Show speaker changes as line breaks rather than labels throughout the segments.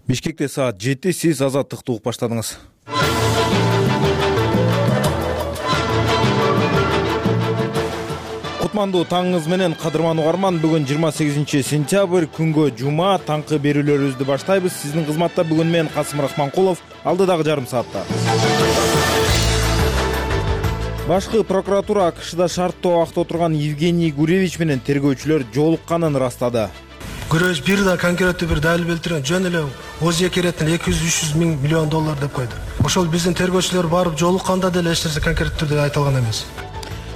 Бишкекте саат 7 сиз азаттыкты угуп баштадыңыз. Кутмандуу таңыңыз менен кадырман угарман. Бүгүн 28 сентябрь күнгө жума, таңкы берүүлөрүбүздү баштайбыз. Сиздин кызматта бүгүн мен Касым Рахманкулов, алдыдагы жарым саатта. Башкы прокуратура АКШда шарттуу абакта отурган Евгений Гуревич менен тергөөчүлөр жолукканын ырастады.
Гуревич бир да конкреттүү бир далил келтирген, жөн эле ОЗЕК эреттин 200-300 миллион доллар деп койду. Ошол биздин тергөөчүлөр барып жолукканда деле эч нерсе конкреттүү түрдө айтылган эмес.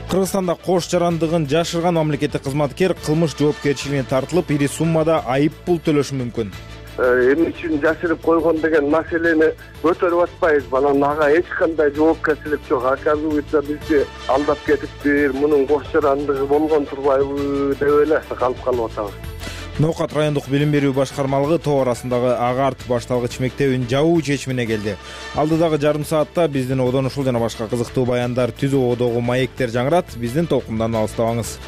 Кыргызстанда кош жарандыгын жашырган мамлекеттик кызматкер кылмыш жоопкерчилигине тартылып, ири суммада айып пул төлөшү мүмкүн.
Эмне үчүн жашырып койгон деген маселени көтөрүп атпайбыз. Анан ага эч кандай жоопкерчилик жок. Оказывается, бизди алдап кетиптир, мунун кош жарандыгы болгон турбайбы деп эле калып атабыз.
Ноокат райондук билим берүү башкармалыгы тоо арасындагы Агарт башталгыч мектебин жабуу чечимине келди. Алдыдагы жарым саатта биздин одон ушул жана башка кызыктуу баяндар, түзүү одогу маектер жаңырат. Биздин толкундан алыстабаңыз.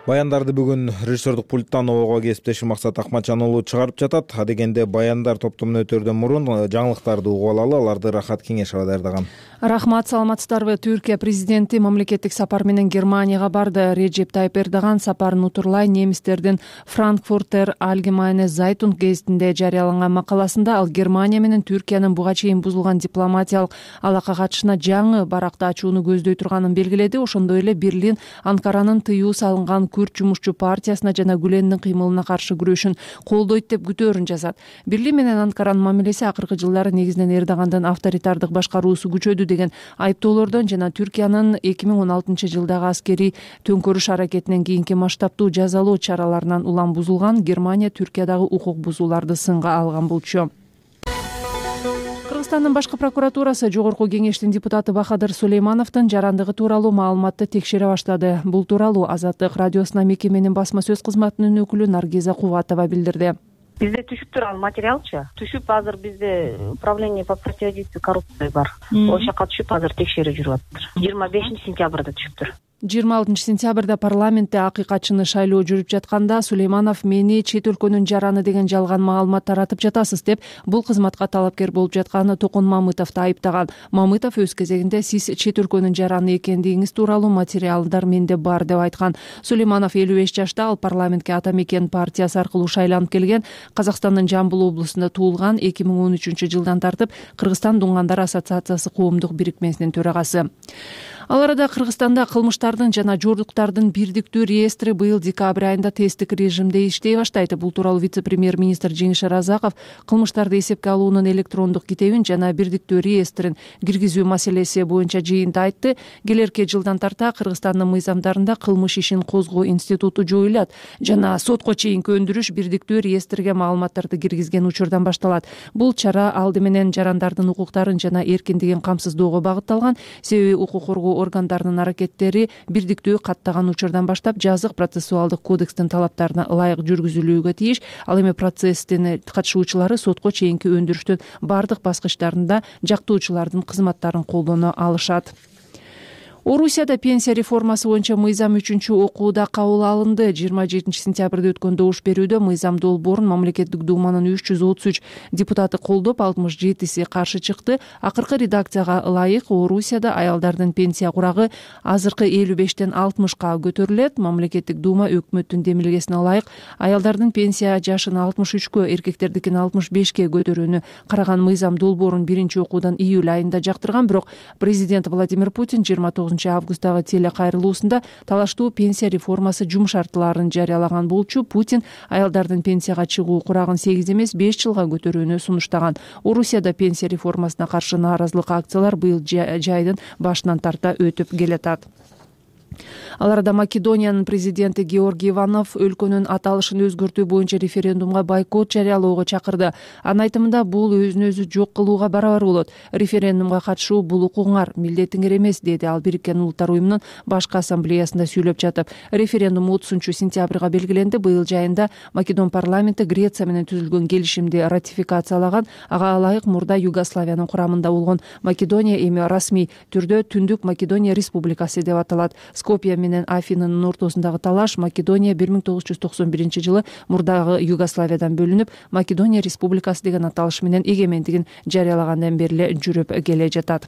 Баяндарды бүгүн режиссердук пульттан ого кесиптешим Максат Акматжан уулу чыгарып жатат. Адегенде баяндар топтомуна өтөрдөн мурун жаңылыктарды угуп алалы. Аларды Рахат Кеңешова даярдаган.
Рахмат, саламатсыздарбы? Түркия президенти мамлекеттик сапар менен Германияга барды. Реджеп Тайып Эрдоган сапарын утурлай немистердин Frankfurter Allgemeine Zeitung гезитинде жарыяланган макаласында ал Германия менен Түркиянын буга чейин бузулган дипломатиялык алака катышына жаңы баракты ачууну көздөй турганын белгиледи. Ошондой эле Берлин Анкаранын тыюу салынган Күрд жумушчу партиясына жана Гүлендин кыймылына каршы күрөшүн колдойт деп күтөөрүн жазат. Берлин менен Анкаранын мамилеси акыркы жылдары негизинен Эрдогандын авторитардык башкаруусу күчөдү деген айыптоолордон жана Түркиянын 2016 жылдагы аскерий төңкөрүш аракетинен кийинки масштабтуу жазалоо чараларынан улам бузулган. Германия Түркиядагы укук бузууларды сынга алган болчу. Кыргызстандын башкы прокуратурасы Жогорку кеңештин депутаты Бахадыр Сулеймановдун жарандыгы тууралуу маалыматты текшере баштады. Бул тууралуу Азаттык радиосуна мекеменин басма сөз кызматынын өкүлү Наргиза Кубатова билдирди.
Бизде түшүптүр ал материалчы. Түшүп азыр бизде управление по противодействию коррупции бар. Ошол жака түшүп азыр текшерүү жүрүп атыптыр. 25 сентябрда түшүптүр.
26 сентябрда парламентте акыйкатчыны шайлоо жүрүп жатканда Сулейманов мени чет өлкөнүн жараны деген жалган маалымат таратып жатасыз деп бул кызматка талапкер болуп жатканы Токун Мамытовду айыптаган. Мамытов өз кезегинде сиз чет өлкөнүн жараны экендигиңиз тууралуу материалдар менде бар деп айткан. Сулейманов 55 жашта, ал парламентке Ата Мекен партиясы аркылуу шайланып келген. Казакстандын Жамбыл облусунда туулган, 2013 жылдан тартып Кыргызстан Дуңгандар ассоциациясы коомдук бирикмесинин төрагасы. Ал арада Кыргызстанда кылмыштардын жана жоруктардын бирдиктүү реестри быйыл декабрь айында тесттик режимде иштей баштайт. Бул тууралуу вице-премьер-министр Жеңиш Разаков кылмыштарды эсепке алуунун электрондук китебин жана бирдиктүү реестрин киргизүү маселеси боюнча жыйында айтты. Келерки жылдан тарта Кыргызстандын мыйзамдарында кылмыш ишин козгоо институту жоюлат жана сотко чейинки өндүрүш бирдиктүү реестрге маалыматтарды киргизген учурдан башталат. Бул чара алды менен жарандардын укуктарын жана эркиндигин камсыздоого багытталган. Себеби укук коргоо органдарынын аракеттери бирдиктүү каттаган учурдан баштап жазык процессуалдык кодекстин талаптарына ылайык жүргүзүлүүгө тийиш. Ал эми процесстин катышуучулары сотко чейинки өндүрүштүн бардык баскычтарында жактоочулардын кызматтарын колдоно алышат. Орусияда пенсия реформасы боюнча мыйзам 3-чү окууда кабыл алынды. 27 сентябрда өткөн добуш берүүдө мыйзам долбоорун мамлекеттик думанын 333 депутаты колдоп, 67си каршы чыкты. Акыркы редакцияга ылайык Орусияда аялдардын пенсия курагы азыркы 55тен 60ка көтөрүлөт. Мамлекеттик дума өкмөттүн демилгесине ылайык аялдардын пенсия жашын 63кө, эркектердикин 65ке көтөрүүнү караган мыйзам долбоорун 1-чи окуудан июль айында жактырган. Бирок президент Владимир Путин 29 августтагы телекайрылуусунда талаштуу пенсия реформасы жумшартыларын жарыялаган болчу. Путин аялдардын пенсияга чыгуу курагын 8 эмес 5 жылга көтөрүүнү сунуштаган. Орусияда пенсия реформасына каршы нааразылык акциялар быйыл жайдын башынан тарта өтүп келатат. Ал арада Македониянын президенти Георгий Иванов өлкөнүн аталышын өзгөртүү боюнча референдумга бойкот жарыялоого чакырды. Анын айтымында бул өзүн өзү жок кылууга барабар болот. Референдумга катышуу бул укугуңар, милдетиңер эмес, деди ал Бириккен Улуттар уюмунун башкы ассамблеясында сүйлөп жатып. Референдум 30 сентябрга белгиленди. Быйыл жайында Македон парламенти Греция менен түзүлгөн келишимди ратификациялаган. Ага ылайык мурда Югославиянын курамында болгон Македония эми расмий түрдө Түндүк Македония республикасы деп аталат. Скопье менен Афинанын ортосундагы талаш Македония 1991 мурдагы Югославиядан бөлүнүп, Македония Республикасы деген аталыш менен эгемендигин жарыялагандан бери эле жүрүп келе жатат.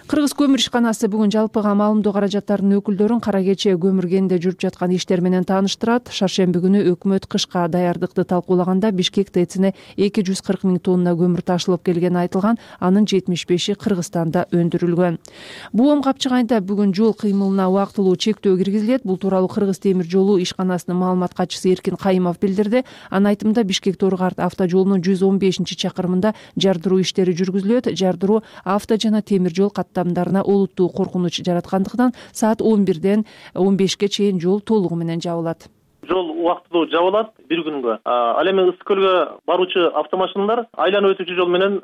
Кыргыз көмүр ишканасы бүгүн жалпыга маалымдоо каражаттарынын өкүлдөрүн кара кече көмүр кенинде жүрүп жаткан иштер менен тааныштырат. Шаршемби күнү өкмөт кышка даярдыкты талкуулаганда Бишкек ТЭЦине 240 000 тонна көмүр ташылып келгени айтылган, анын 75-и Кыргызстанда өндүрүлгөн. БУМ капчык айында бүгүн жол кыймылына убактылуу чектөө киргизилет. Бул тууралуу Кыргыз темир жолу ишканасынын маалымат катчысы Эркин Кайымов билдирди. Анын айтымында Бишкек-Торгарт автожолунун 115-чакырымында жардыруу иштери жүргүзүлөт. Жардыруу авто жана темир жол каттамдарына олуттуу коркунуч жараткандыктан саат 11-ден 15-ке чейин жол толугу менен жабылат.
Жол убактылуу жабылат бир күнгө. Ал эми Ысык көлгө баруучу автомашиналар айланып өтүүчү жол менен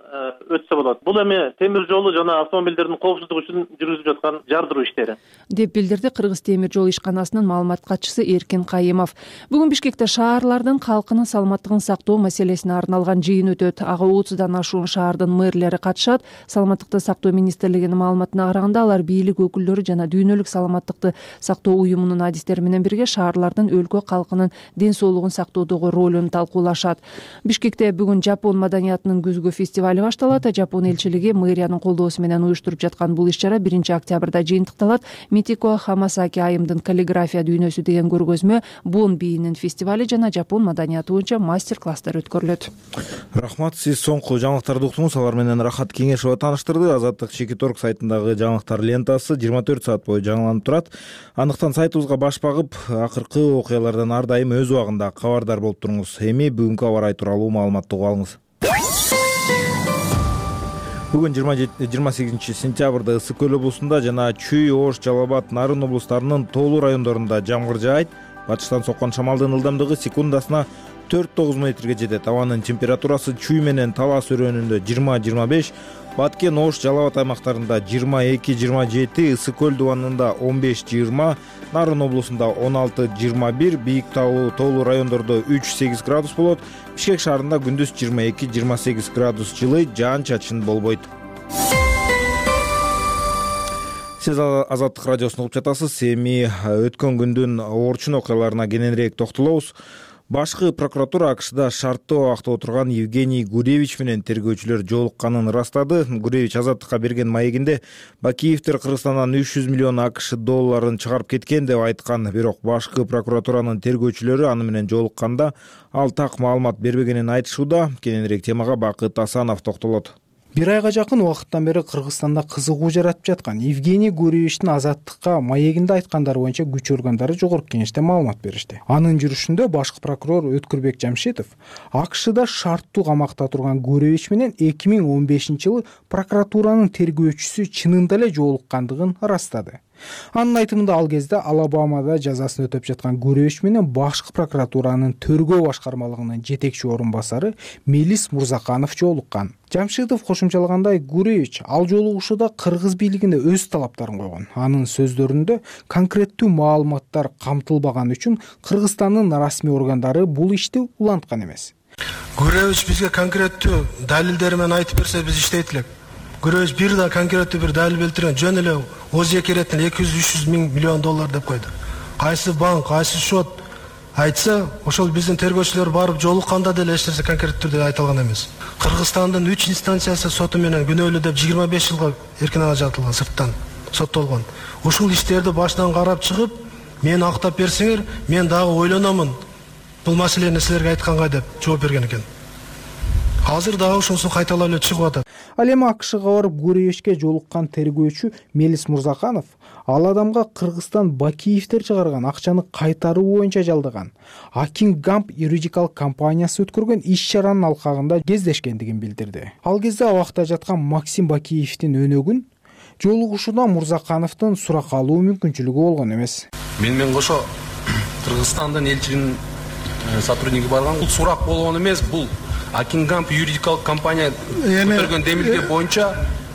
өтсө болот. Бул эми темир жолу жана автомобилдердин коопсуздугу үчүн жүргүзүлүп жаткан жардыруу иштери
деп билдирди Кыргыз темир жол ишканасынын маалымат катчысы Эркин Кайымов. Бүгүн Бишкекте шаарлардын калкынын саламаттыгын сактоо маселесине арналган жыйын өтөт. Ага 30дан ашуун шаардын мэрлери катышат. Саламаттыкты сактоо министрлигинин маалыматына караганда, алар бийлик өкүлдөрү жана дүйнөлүк саламаттыкты сактоо уюмунун адистери менен бирге шаарлардын өлкө калкынын ден соолугун сактоодогу ролун талкуулашат. Бишкекте бүгүн Жапон маданиятынын күзгү фестивали башталат. Жапон элчилиги мэриянын колдоосу менен уюштуруп жаткан бул иш-чара 1-октябрда жыйынтыкталат. Митико Хамасаки айымдын каллиграфия дүйнөсү деген көргөзмө, Бон бийинин фестивали жана Жапон маданияты боюнча мастер-класстар өткөрүлөт.
Рахмат, сиз соңку жаңылыктарды уктуңуз. Алар менен Рахат Кеңешова тааныштырды. Азаттык Чекиторг сайтындагы жаңылыктар лентасы 24 саат бою жаңыланып турат. Андыктан сайтыбызга баш багып, акыркы окуялардан ар дайым өз убагында кабардар болуп туруңуз. Эми бүгүнкү аба ырайы тууралуу маалыматты угуп алыңыз. Бүгүн 28 сентябрда Ысык көл облусунда жана Чүй, Ош, Жалал Абад, Нарын облустарынын тоолуу райондорунда жамгыр жаайт. Батыштан соккон шамалдын ылдамдыгы секундасына 4-9 метрге жетет. Абанын температурасы Чүй менен Талас өрөөнүндө 20-25, Баткен, Ош, Жалал Абад аймактарында 22-27, Ысык көл дубанында 15-20, Нарын облусунда 16-21, бийик тоолуу райондордо 3-8 градус болот. Бишкек шаарында күндүз 22-28 градус жылы, жаан-чачын болбойт. Сиз Азаттык радиосун угуп жатасыз. Эми өткөн күндүн орчун окуяларына кененирээк токтолобуз. Башкы прокуратура АКШда шарттуу абакта отурган Евгений Гуревич менен тергөөчүлөр жолукканын ырастады. Гуревич Азаттыкка берген маегинде Бакиевдер Кыргызстандан 300 миллион АКШ долларын чыгарып кеткен деп айткан. Бирок башкы прокуратуранын тергөөчүлөрү аны менен жолукканда ал так маалымат бербегенин айтышууда. Кененирээк темага Бакыт Асанов токтолот.
Бир айга жакын убакыттан бери Кыргызстанда кызыгуу жаратып жаткан Евгений Гуревичтин Азаттыкка маегинде айткандары боюнча күч органдары жогорку кеңеште маалымат беришти. Анын жүрүшүндө башкы прокурор Өткүрбек Жамшитов АКШда шарттуу камакта турган Гуревич менен 2015-жылы прокуратуранын тергөөчүсү чынында эле жолуккандыгын ырастады. Анын айтымында ал кезде Алабамада жазасын өтөп жаткан Гуревич менен башкы прокуратуранын тергөө башкармалыгынын жетекчи орун басары Мелис Мурзаканов жолуккан. Жамшитов кошумчалагандай, Гуревич ал жолугушууда кыргыз бийлигине өз талаптарын койгон. Анын сөздөрүндө конкреттүү маалыматтар камтылбаган үчүн Кыргызстандын расмий органдары бул ишти уланткан эмес.
Гуревич бизге конкреттүү далилдери менен айтып берсе биз иштейт элек. Гуревич бир да конкреттүү бир далил келтирген, жөн эле ОЗЕ керетин 200-300 миллион доллар деп койду. Кайсы банк, кайсы счет айтса, ошол биздин тергөөчүлөр барып жолукканда деле эч нерсе конкреттүү түрдө айтылган эмес. Кыргызстандын 3 инстанциясы соту менен күнөөлүү деп 25 жылга эркин ажыратылган, сырттан соттолгон. Ушул иштерди башынан карап чыгып, мени актап берсеңер, мен дагы ойлономун. Бул маселени силерге айтканга деп жооп берген экен. Азыр дагы ушунусу кайталап эле чыгып атат.
Ал эми АКШга барып Гуревичке жолуккан тергөөчү Мелис Мурзаканов ал адамга Кыргызстан Бакиевдер чыгарган акчаны кайтаруу боюнча жалдаган Акингамп юридикалык компаниясы өткөргөн иш-чаранын алкагында кездешкендигин билдирди. Ал кезде абакта жаткан Максим Бакиевдин өнөгүн жолугушуудан Мурзакановдун сурак алуу мүмкүнчүлүгү болгон эмес.
Мен кошо Кыргызстандын элчилигинин сотрудниги барган. Бул сурак болгон эмес, бул Акингамп юридикалык компания көтөргөн демилге боюнча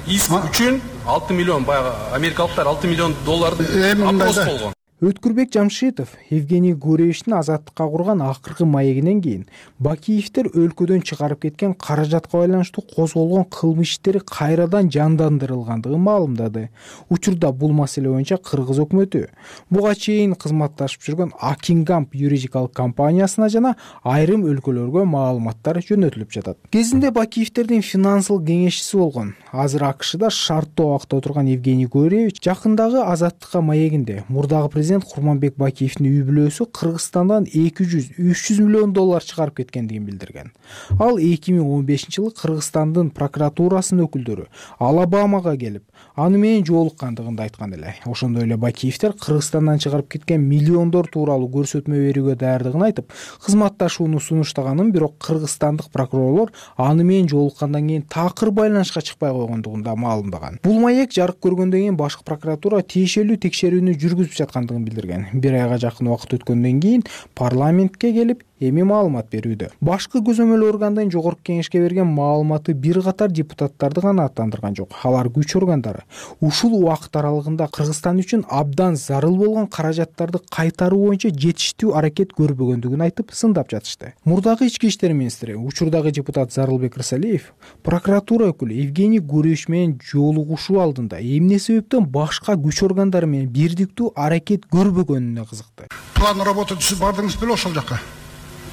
иск үчүн 6 миллион, баягы америкалыктар 6 миллион долларды опрос болгон.
Өткүрбек Жамшитов Евгений Гуревичтин азаттыкка курган акыркы маегинен кийин Бакиевдер өлкөдөн чыгарып кеткен каражатка байланыштуу козголгон кылмыш иштери кайрадан жандандырылгандыгын маалымдады. Учурда бул маселе боюнча кыргыз өкмөтү буга чейин кызматташып жүргөн Акингамп юридикалык компаниясына жана айрым өлкөлөргө маалыматтар жөнөтүлүп жатат. Кезинде Бакиевдердин финансылык кеңешчиси болгон, азыр AКШда шарттуу абакта отурган Евгений Гуревич жакындагы азаттыкка маегинде мурдагы президент Курманбек Бакиевдин үй бүлөсү Кыргызстандан 200-300 миллион доллар чыгарып кеткендигин билдирген. Ал 2015-жылы Кыргызстандын прокуратурасынын өкүлдөрү Алабамага келип, аны менен жолуккандыгын айткан эле. Ошондой эле Бакиевдер Кыргызстандан чыгарып кеткен миллиондор тууралуу көрсөтмө берүүгө даярдыгын айтып, кызматташууну сунуштаганын, бирок кыргызстандык прокурорлор аны менен жолуккандан кийин такыр байланышка чыкпай койгондугун да маалымдаган. Бул маек жарык көргөндөн кийин башкы прокуратура тиешелүү текшерүүнү жүргүзүп жаткандыгын билдирген. Бир айга жакын убакыт өткөндөн кийин парламентке келип эми маалымат берүүдө. Башкы көзөмөл органдын жогорку кеңешке берген маалыматы бир катар депутаттарды гана аттандырган жок. Алар күч органдары ушул убакыт аралыгында Кыргызстан үчүн абдан зарыл болгон каражаттарды кайтаруу боюнча жетиштүү аракет көрбөгөндүгүн айтып сындап жатышты. Мурдагы ички иштер министри, учурдагы депутат Зарылбек Рысалиев прокуратура өкүлү Евгений Гуревич менен жолугушуу алдында эмне себептен башка күч органдары менен бирдиктүү аракет көрбөгөнүнө кызыкты.
План работы сиз бардыңыз беле ошол жака?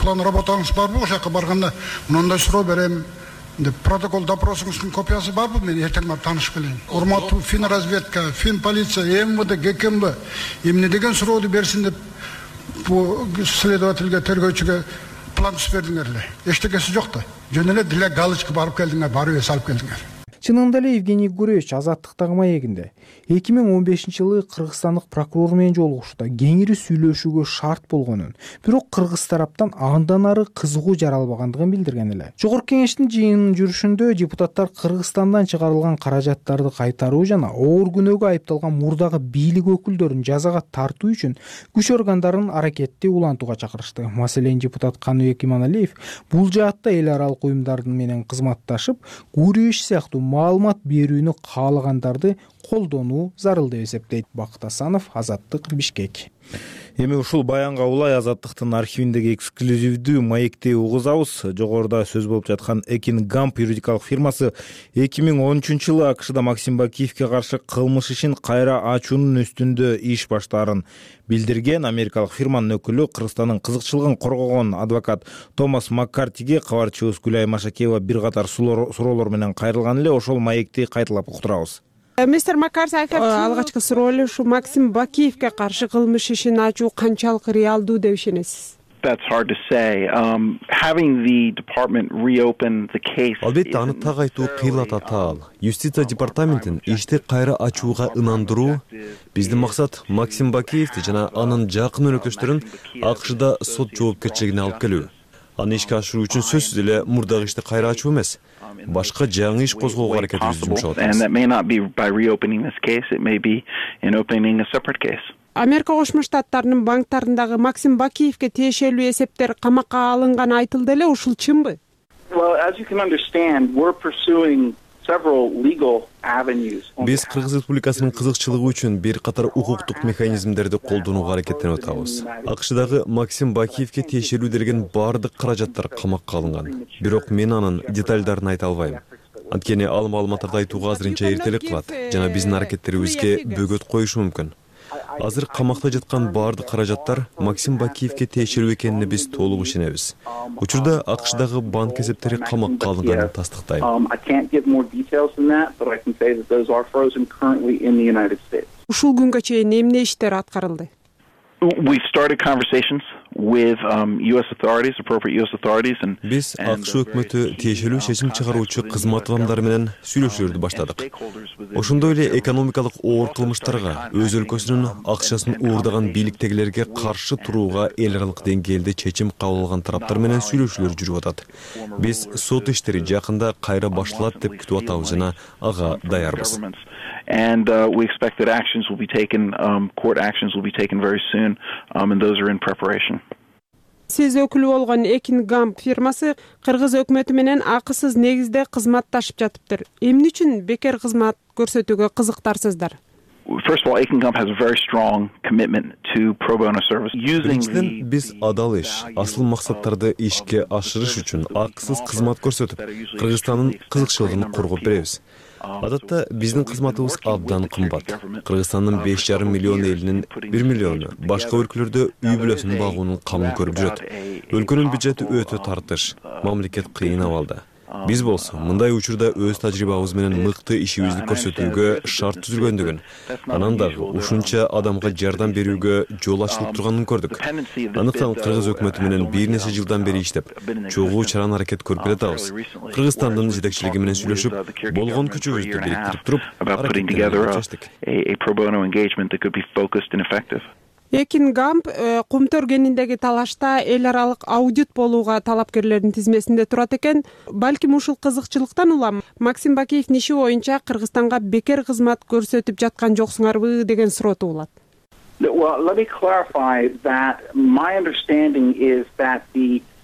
План работаңыз барбы? Ошол жака барганда мындай суроо берем деп протокол допросуңуздун копиясы барбы? Мен эртең барып таанышып келейин. Урматтуу финразведка, финполиция, МВД, ГКМБ эмне деген сурооду берсин деп бул следовательге, тергөөчүгө план түзүп бердиңер эле. Эчтекеси жок да. Жөн эле деле галочка барып келдиңер, барып салып келдиңер.
Чынында эле Евгений Гуревич азаттыктагы маегинде 2015-жылы кыргызстандык прокурор менен жолугушууда кеңири сүйлөшүүгө шарт болгонун, бирок кыргыз тараптан андан ары кызыгуу жаралбагандыгын билдирген эле. Жогорку кеңештин жыйынынын жүрүшүндө депутаттар Кыргызстандан чыгарылган каражаттарды кайтаруу жана оор күнөөгө айыпталган мурдагы бийлик өкүлдөрүн жазага тартуу үчүн күч органдарын аракетти улантууга чакырышты. Маселен, депутат Каныбек Иманалиев бул жаатта эл аралык уюмдардын менен кызматташып, Гуревич сыяктуу маалымат берүүнү каалагандарды колдонуу зарыл деп эсептейт. Бакыт Асанов, Азаттык, Бишкек.
Эми ушул баянга улай Азаттыктын архивиндеги эксклюзивдүү маекти угузабыз. Жогоруда сөз болуп жаткан Акингамп юридикалык фирмасы 2013-жылы AKШда Максим Бакиевке каршы кылмыш ишин кайра ачуунун үстүндө иш баштаарын билдирген. Америкалык фирманын өкүлү Кыргызстандын кызыкчылыгын коргогон адвокат Томас Маккартиге кабарчыбыз Гүлай Машакеева бир катар суроолор менен кайрылган эле. Ошол маекти кайталап уктурабыз.
Мистер Маккарти, алгачкы суроо эле ушу Максим Бакиевке каршы кылмыш ишин ачуу канчалык реалдуу деп ишенесиз?
Албетте, аны так айтуу кыйла татаал. Юстиция департаментин ишти кайра ачууга ынандыруу. Биздин максат Максим Бакиевди жана анын жакын өнөктөштөрүн AKШда сот жоопкерчилигине алып келүү. Аны ишке ашыруу үчүн сөзсүз эле мурдагы ишти кайра ачуу эмес, башка жаңы иш козгоого аракетибизди жумшап атабыз.
Америка Кошмо Штаттарынын банктарындагы Максим Бакиевке тиешелүү эсептер камакка алынганы айтылды эле, ушул чынбы?
Биз Кыргыз Республикасынын кызыкчылыгы үчүн бир катар укуктук механизмдерди колдонууга аракеттенип атабыз. AKШдагы Максим Бакиевке тиешелүү делген бардык каражаттар камакка алынган. Бирок мен анын детальдарын айта албайм. Анткени ал маалыматтарды айтууга азырынча эртелик кылат жана биздин аракеттерибизге бөгөт коюшу мүмкүн. Азыр камакта жаткан бардык каражаттар Максим Бакиевке тиешелүү экенине биз толук ишенебиз. Учурда AKШдагы банк эсептери камакка алынганын тастыктайм.
Ушул күнгө чейин эмне иштер аткарылды?
Биз AKШ өкмөтү тиешелүү чечим чыгаруучу кызмат адамдары менен сүйлөшүүлөрдү баштадык. Ошондой эле экономикалык оор кылмыштарга, өз өлкөсүнүн акчасын уурдаган бийликтегилерге каршы турууга эл аралык деңгээлде чечим кабыл алган тараптар менен сүйлөшүүлөр жүрүп атат. Биз сот иштери жакында кайра башталат деп күтүп атабыз жана ага даярбыз.
And we expect that actions will be taken, court actions will be taken very soon, and those are in preparation.
Сиз өкүлү болгон Акингамп фирмасы Кыргыз өкмөтү менен акысыз негизде кызматташып жатыптыр. Эмне үчүн бекер кызмат көрсөтүүгө кызыктарсыздар?
First of all, Akin Gump has a very strong commitment to pro bono service.
Биринчиден, биз адал иш, асыл максаттарды ишке ашырыш үчүн акысыз кызмат көрсөтүп, Кыргызстандын кызыкчылыгын коргоп беребиз. Адатта биздин кызматыбыз абдан кымбат. Кыргызстандын 5,5 миллион элинин 1 миллиону башка өлкөлөрдө үй бүлөсүн багуунун камын көрүп жүрөт. Өлкөнүн бюджети өтө тартыш, мамлекет кыйын абалда. Биз болсо мындай учурда өз тажрыйбабыз менен мыкты ишибизди көрсөтүүгө шарт түзүлгөндүгүн, анан дагы ушунча адамга жардам берүүгө жол ачылып турганын көрдүк. Андыктан Кыргыз өкмөтү менен бир нече жылдан бери иштеп, чогуу чаран аракет көрүп келатабыз. Кыргызстандын жетекчилиги менен сүйлөшүп, болгон күчүбүздү бириктирип туруп,
Akin Gump кумтөр кениндеги талашта эл аралык аудит болууга талапкерлердин тизмесинде турат экен. Балким ушул кызыкчылыктан улам Максим Бакиевдин иши боюнча Кыргызстанга бекер кызмат көрсөтүп жаткан жоксуңарбы деген суроо туулат.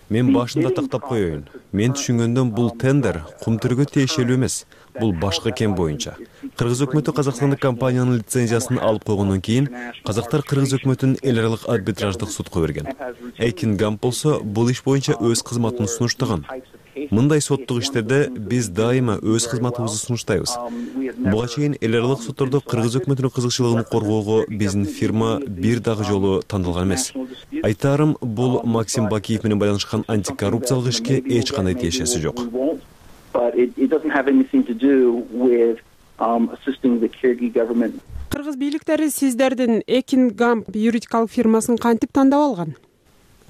Мен башында тактап коеюн. Мен түшүнгөндөн бул тендер кумтөргө тиешелүү эмес. Бул башка кен боюнча. Кыргыз өкмөтү Казакстандык компаниянын лицензиясын алып койгондон кийин казактар Кыргыз өкмөтүн эл аралык арбитраждык судка берген. Akin Gump болсо бул иш боюнча өз кызматын сунуштаган. Мындай соттук иштерде биз дайыма өз кызматыбызды сунуштайбыз. Буга чейин эл аралык соттордо Кыргыз өкмөтүнүн кызыкчылыгын коргоого биздин фирма бир дагы жолу тандалган эмес. Айтарым, бул Максим Бакиев менен байланышкан антикоррупциялык ишке эч кандай тиешеси жок.
Кыргыз бийликтери сиздердин Akin Gump юридикалык фирмасын кантип тандап алган?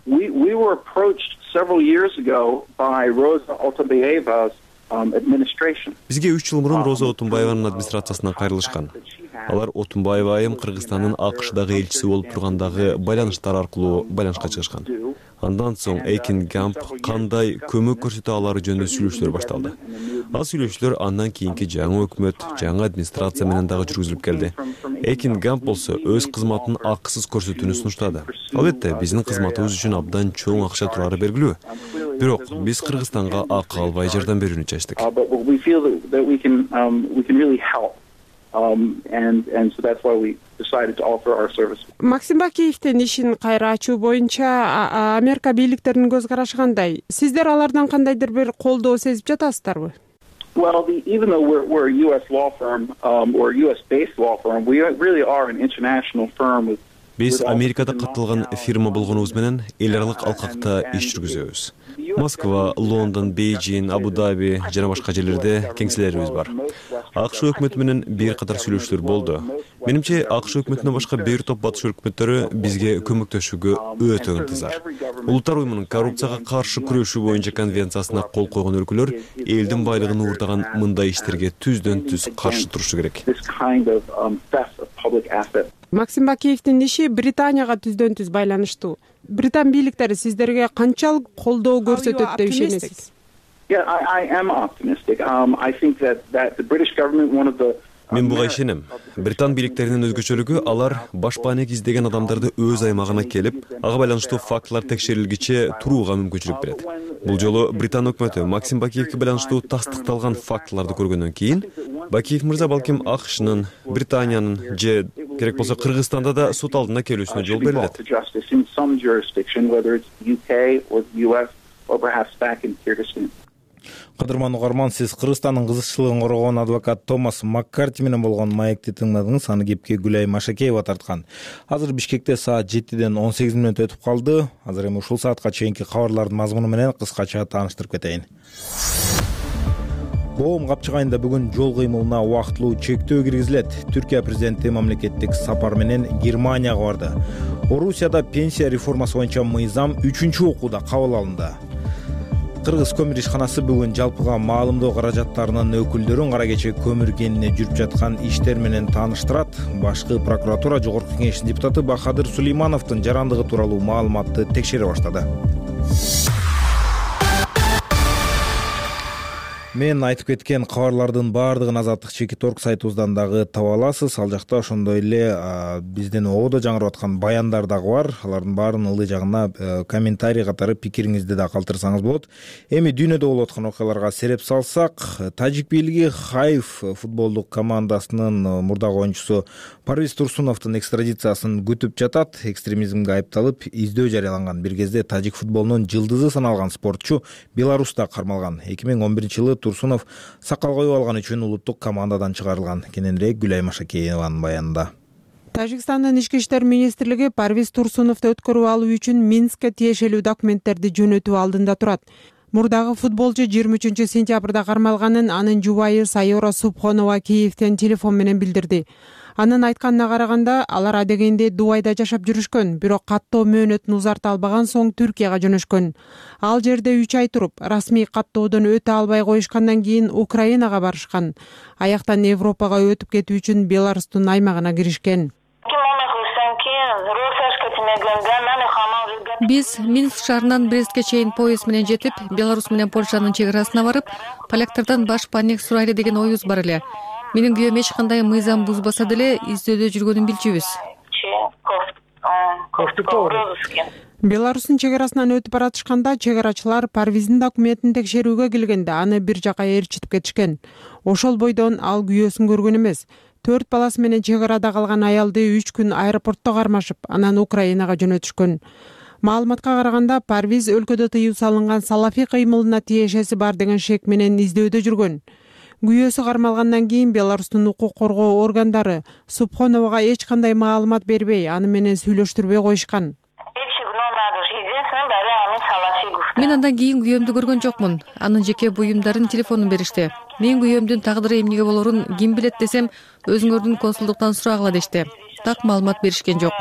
We were approached several years ago by Rosa Otunbayeva's administration.
Бизге 3 жыл мурун Роза Отунбаеванын администрациясынан кайрылышкан. Алар Отунбаева айым Кыргызстандын АКШдагы элчиси болуп тургандагы байланыштар аркылуу байланышка чыгышкан. Андан соң Akin Gump кандай көмөк көрсөтө алары жөнүндө сүйлөшүүлөр башталды. Ал сүйлөшүүлөр андан кийинки жаңы өкмөт, жаңы администрация менен дагы жүргүзүлүп келди. Akin Gump болсо өз кызматын акысыз көрсөтүүнү сунуштады. Албетте, биздин кызматыбыз үчүн абдан чоң акча турары белгилүү. Бирок биз Кыргызстанга акы албай жардам берүүнү чечтик.
And so that's why we decided to offer our service.
Максим Бакиевдин ишин кайра ачуу боюнча Америка бийликтеринин көз карашы кандай? Сиздер алардан кандайдыр бир колдоо сезип жатасыздарбы?
Well, even though we're a U.S. law firm or a U.S.-based law firm, we really are an international firm with
Биз Америкада катталган фирма болгонубуз менен эл аралык алкакта иш жүргүзөбүз. Москва, Лондон, Бейжин, Абу-Даби жана башка жерлерде кеңселерибиз бар. АКШ өкмөтү менен бир катар сүйлөшүүлөр болду. Менимче, АКШ өкмөтүнөн башка бир топ батыш өкмөттөрү бизге көмөктөшүүгө өтө ынтызар. Улуттар уюмунун коррупцияга каршы күрөшүү боюнча конвенциясына кол койгон өлкөлөр элдин байлыгын уурдаган мындай иштерге түздөн түз каршы турушу керек.
Максим Бакиевдин иши Британияга түздөн түз байланыштуу. Британ бийликтери сиздерге канчалык колдоо көрсөтөт деп ишенесиз?
Yeah, I am optimistic. I think that the British government, one of the
Мен буга ишенем. Британ бийликтеринин өзгөчөлүгү алар башпаанек издеген адамдарды өз аймагына келип, ага байланыштуу фактылар текшерилгиче турууга мүмкүнчүлүк берет. Бул жолу Британ өкмөтү Максим Бакиевге байланыштуу тастыкталган фактыларды көргөндөн кийин, Бакиев мырза балким АКШнын, Британиянын же керек болсо Кыргызстанда да суд алдына келүүсүнө жол берилет.
Кадырман угарман, сиз Кыргызстандын кызыкчылыгын коргогон адвокат Томас Маккарти менен болгон маекти тыңдадыңыз. Аны кепке Гүлай Машакеева тарткан. Азыр Бишкекте саат 7-ден 18 мүнөт өтүп калды. Азыр эми ушул саатка чейинки кабарлардын мазмуну менен кыскача тааныштырып кетейин. Боом капчык айында бүгүн жол кыймылына убактылуу чектөө киргизилет. Түркия президенти мамлекеттик сапар менен Германияга барды. Орусияда пенсия реформасы боюнча мыйзам 3-окууда кабыл алынды. Кыргыз көмүр ишканасы бүгүн жалпыга маалымдоо каражаттарынын өкүлдөрүн кара кече көмүр кенине жүрүп жаткан иштер менен тааныштырат. Башкы прокуратура Жогорку Кеңештин депутаты Бахадыр Сулеймановдун жарандыгы тууралуу маалыматты текшере баштады. мен айтып кеткен кабарлардын баардыгын Азаттык Чекиторг сайтыбыздан дагы таба аласыз. Ал жакта ошондой эле биздин ободо жаңырып аткан баяндар дагы бар. Алардын баарынын ылдый жагына комментарий катары пикириңизди да калтырсаңыз болот. Эми дүйнөдө болуп аткан окуяларга сереп салсак, тажик бийлиги Хайф футболдук командасынын мурдагы оюнчусу Парвиз Турсуновдун экстрадициясын күтүп жатат. Экстремизмге айыпталып издөө жарыяланган. Бир кезде тажик футболунун жылдызы саналган спортчу Беларуста кармалган. 2011-жылы Турсунов сакал коюп алган үчүн улуттук командадан чыгарылган. Кененирээк Гүлай Машакееванын баянында.
Тажикстандын ички иштер министрлиги Парвиз Турсуновду өткөрүп алуу үчүн Минскке тиешелүү документтерди жөнөтүү алдында турат. Мурдагы футболчу 23-сентябрда кармалганын анын жубайы Сайора Субхонова Киевден телефон менен билдирди. Анын айтканына караганда, алар адегенде Дубайда жашап жүрүшкөн, бирок каттоо мөөнөтүн узарта албаган соң Түркияга жөнөшкөн. Ал жерде 3 ай туруп, расмий каттоодон өтө албай коюшкандан кийин Украинага барышкан. Аяктан Европага өтүп кетүү үчүн Беларустун аймагына киришкен.
Биз Минск шаарынан Брестке чейин поезд менен жетип, Беларусь менен Польшанын чек арасына барып, поляктардан баш панек сурайлы деген оюбуз бар эле. Менин күйөөм эч кандай мыйзам бузбаса деле издөөдө жүргөнүн билчүбүз.
Беларустун чек арасынан өтүп баратышканда чек арачылар Парвиздин документин текшерүүгө келгенде аны бир жака ээрчитип кетишкен. Ошол бойдон ал күйөөсүн көргөн эмес. 4 баласы менен чек арада калган аялды 3 күн аэропортто кармашып, анан Украинага жөнөтүшкөн. Маалыматка караганда, Парвиз өлкөдө тыюу салынган салафий кыймылына тиешеси бар деген шек менен издөөдө жүргөн. Күйөөсү кармалгандан кийин Беларустун укук коргоо органдары Субхоновага эч кандай маалымат бербей, аны менен сүйлөштүрбөй коюшкан.
Мен андан кийин күйөөмдү көргөн жокмун. Анын жеке буюмдарын телефонун беришти. Мен күйөөмдүн тагдыры эмнеге болорун ким билет десем, өзүңөрдүн консулдуктан сурагыла дешти. Так маалымат беришкен жок.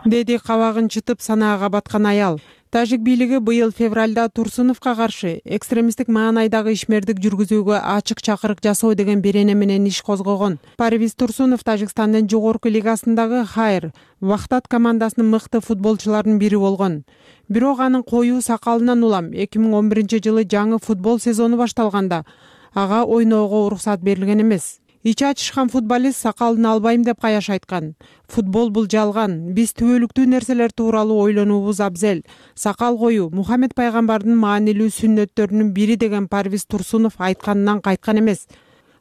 Деди кабагын чытып санаага баткан аял. Тажик бийлиги быйыл февралда Турсуновго каршы экстремисттик маанайдагы ишмердик жүргүзүүгө ачык чакырык жасоо деген берене менен иш козгогон. Парвиз Турсунов Тажикстандын жогорку лигасындагы Хайр Вахтат командасынын мыкты футболчуларынын бири болгон. Бирок анын коюу сакалынан улам 2011-жылы жаңы футбол сезону башталганда ага ойноого уруксат берилген эмес. Ичи ачышкан футболист сакалын албайм деп каяш айткан. Футбол бул жалган. Биз түбөлүктүү нерселер тууралуу ойлонуубуз абзел. Сакал коюу Мухаммед пайгамбардын маанилүү сүннөттөрүнүн бири деген Парвиз Турсунов айтканынан кайткан эмес.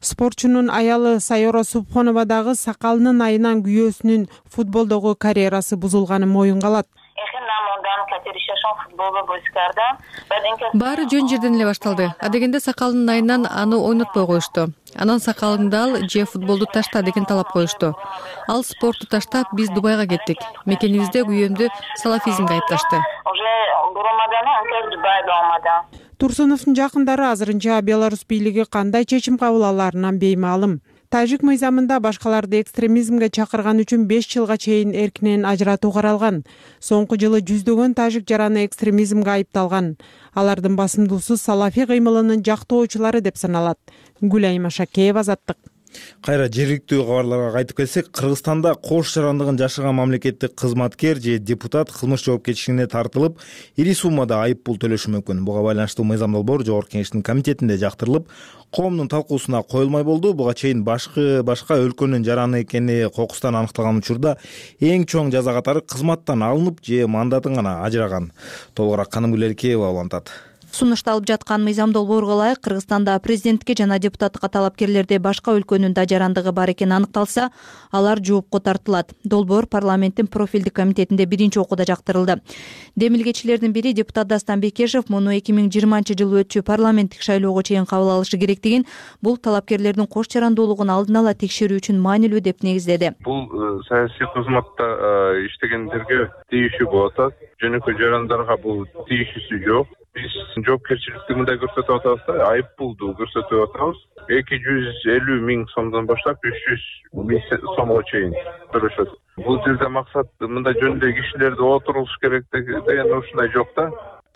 Спортчунун аялы Сайора Субхонова дагы сакалынын айынан күйөөсүнүн футболдогу карьерасы бузулганын моюнга алат.
Баары жөн жерден эле башталды. Адегенде сакалынын айынан аны ойнотпой коюшту. Анан сакалыңды ал же футболду ташта деген талап коюшту. Ал спортту таштап, биз Дубайга кеттик. Мекенибизде күйөөмдү салафизмге айыпташты.
Турсуновдун жакындары азырынча Беларусь бийлиги кандай чечим кабыл аларынан беймаалым. Тажик мыйзамында башкаларды экстремизмге чакырган үчүн 5 жылга чейин эркинен ажыратуу каралган. Соңку жылы жүздөгөн тажик жараны экстремизмге айыпталган. Алардын басымдуусу салафий кыймылынын жактоочулары деп саналат. Гүлай Машакеева, Азаттык.
Кайра жергиликтүү кабарларга кайтып келсек, Кыргызстанда кош жарандыгын жашаган мамлекеттик кызматкер же депутат кылмыш жоопкерчилигине тартылып, ири суммада айып пул төлөшү мүмкүн. Буга байланыштуу мыйзам долбоор Жогорку Кеңештин комитетинде жактырылып, коомдун талкуусуна коюлмай болду. Буга чейин башка өлкөнүн жараны экени кокустан аныкталган учурда эң чоң жаза катары кызматтан алынып же мандатын гана ажыраган. Толугураак Каным Гүлеркеева улантат.
Сунушталып жаткан мыйзам долбоорго ылайык Кыргызстанда президентке жана депутаттыкка талапкерлерде башка өлкөнүн да жарандыгы бар экени аныкталса, алар жоопко тартылат. Долбоор парламенттин профилдик комитетинде биринчи окууда жактырылды. Демилгечилердин бири депутат Дастан Бекешев муну 2020-жылы өтчү парламенттик шайлоого чейин кабыл алышы керектигин, бул талапкерлердин кош жарандуулугун алдын ала текшерүү үчүн маанилүү деп негиздеди.
Бул саясий кызматта иштегендерге тийишүү болуп атат. Жөнөкөй жарандарга бул тийишүүсү жок. Биз жоопкерчиликти мындай көрсөтүп атабыз да, айып пулду көрсөтүп атабыз. 250 миң сомдон баштап 300 миң сомго чейин төлөшөт. Бул жерде максат мындай жөндөй кишилерди отурулуш керек деген ушундай жок да.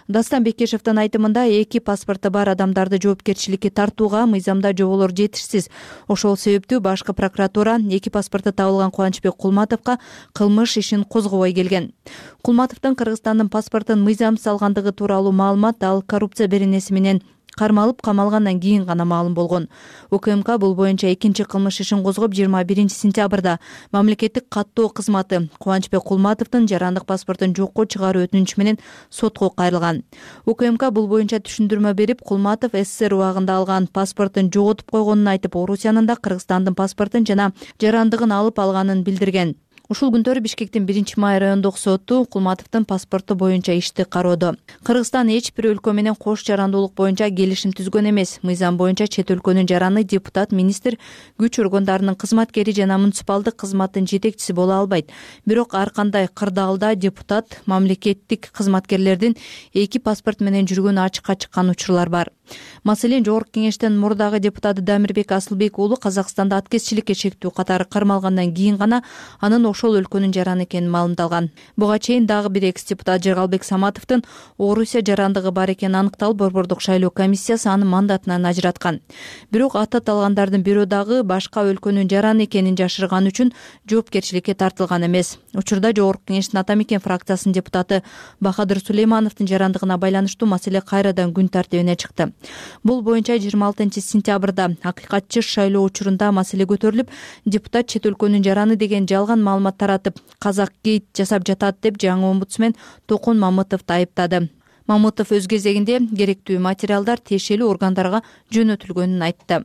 Дастан Бекешевдин айтымында эки паспорты бар адамдарды жоопкерчиликке тартууга мыйзамда жоболор жетишсиз. Ошол себептүү башкы прокуратура эки паспорты табылган Кубанычбек Кулматовго кылмыш ишин козгобой келген. Кулматовдун Кыргызстандын паспортун мыйзамсыз алгандыгы тууралуу маалымат ал коррупция беренеси менен кармалып камалгандан кийин гана маалым болгон. УКМК бул боюнча экинчи кылмыш ишин козгоп 21 сентябрда мамлекеттик каттоо кызматы Кубанычбек Кулматовдун жарандык паспортун жокко чыгаруу өтүнүчү менен сотко кайрылган. УКМК бул боюнча түшүндүрмө берип, Кулматов СССР убагында алган паспортун жоготуп койгонун айтып, Орусиянын да Кыргызстандын паспортун жана жарандыгын алып алганын билдирген. Ушул күндөрү Бишкектин 1-май райондук соту Кулматовдун паспорту боюнча ишти кароодо. Кыргызстан эч бир өлкө менен кош жарандуулук боюнча келишим түзгөн эмес. Мыйзам боюнча чет өлкөнүн жараны депутат, министр, күч органдарынын кызматкери жана муниципалдык кызматтын жетекчиси боло албайт. Бирок ар кандай кырдаалда депутат, мамлекеттик кызматкерлердин эки паспорт менен жүргөнү ачыкка чыккан учурлар бар. Маселен, Жогорку Кеңештин мурдагы депутаты Дамирбек Асылбек уулу Казакстанда аткезчиликке чектүү катары кармалгандан кийин гана анын ошол өлкөнүн жараны экени маалымдалган. Буга чейин дагы бир экс-депутат Жергалбек Саматовдун Орусия жарандыгы бар экени аныкталып, Борбордук шайлоо комиссиясы аны мандатынан ажыраткан. Бирок аты аталгандардын бирөө дагы башка өлкөнүн жараны экенин жашырган үчүн жоопкерчиликке тартылган эмес. Учурда Жогорку Кеңештин Ата Мекен фракциясынын депутаты Бахадыр Сулеймановдун жарандыгына байланыштуу маселе кайрадан күн тартибине чыкты. Бул боюнча 26 сентябрда акыйкатчы шайлоо учурунда маселе көтөрүлүп, депутат чет өлкөнүн жараны деген жалган маалымат таратып, казак гейт жасап жатат деп жаңы омбудсмен Токун Мамытовду айыптады. Мамытов өз кезегинде керектүү материалдар тиешелүү органдарга жөнөтүлгөнүн айтты.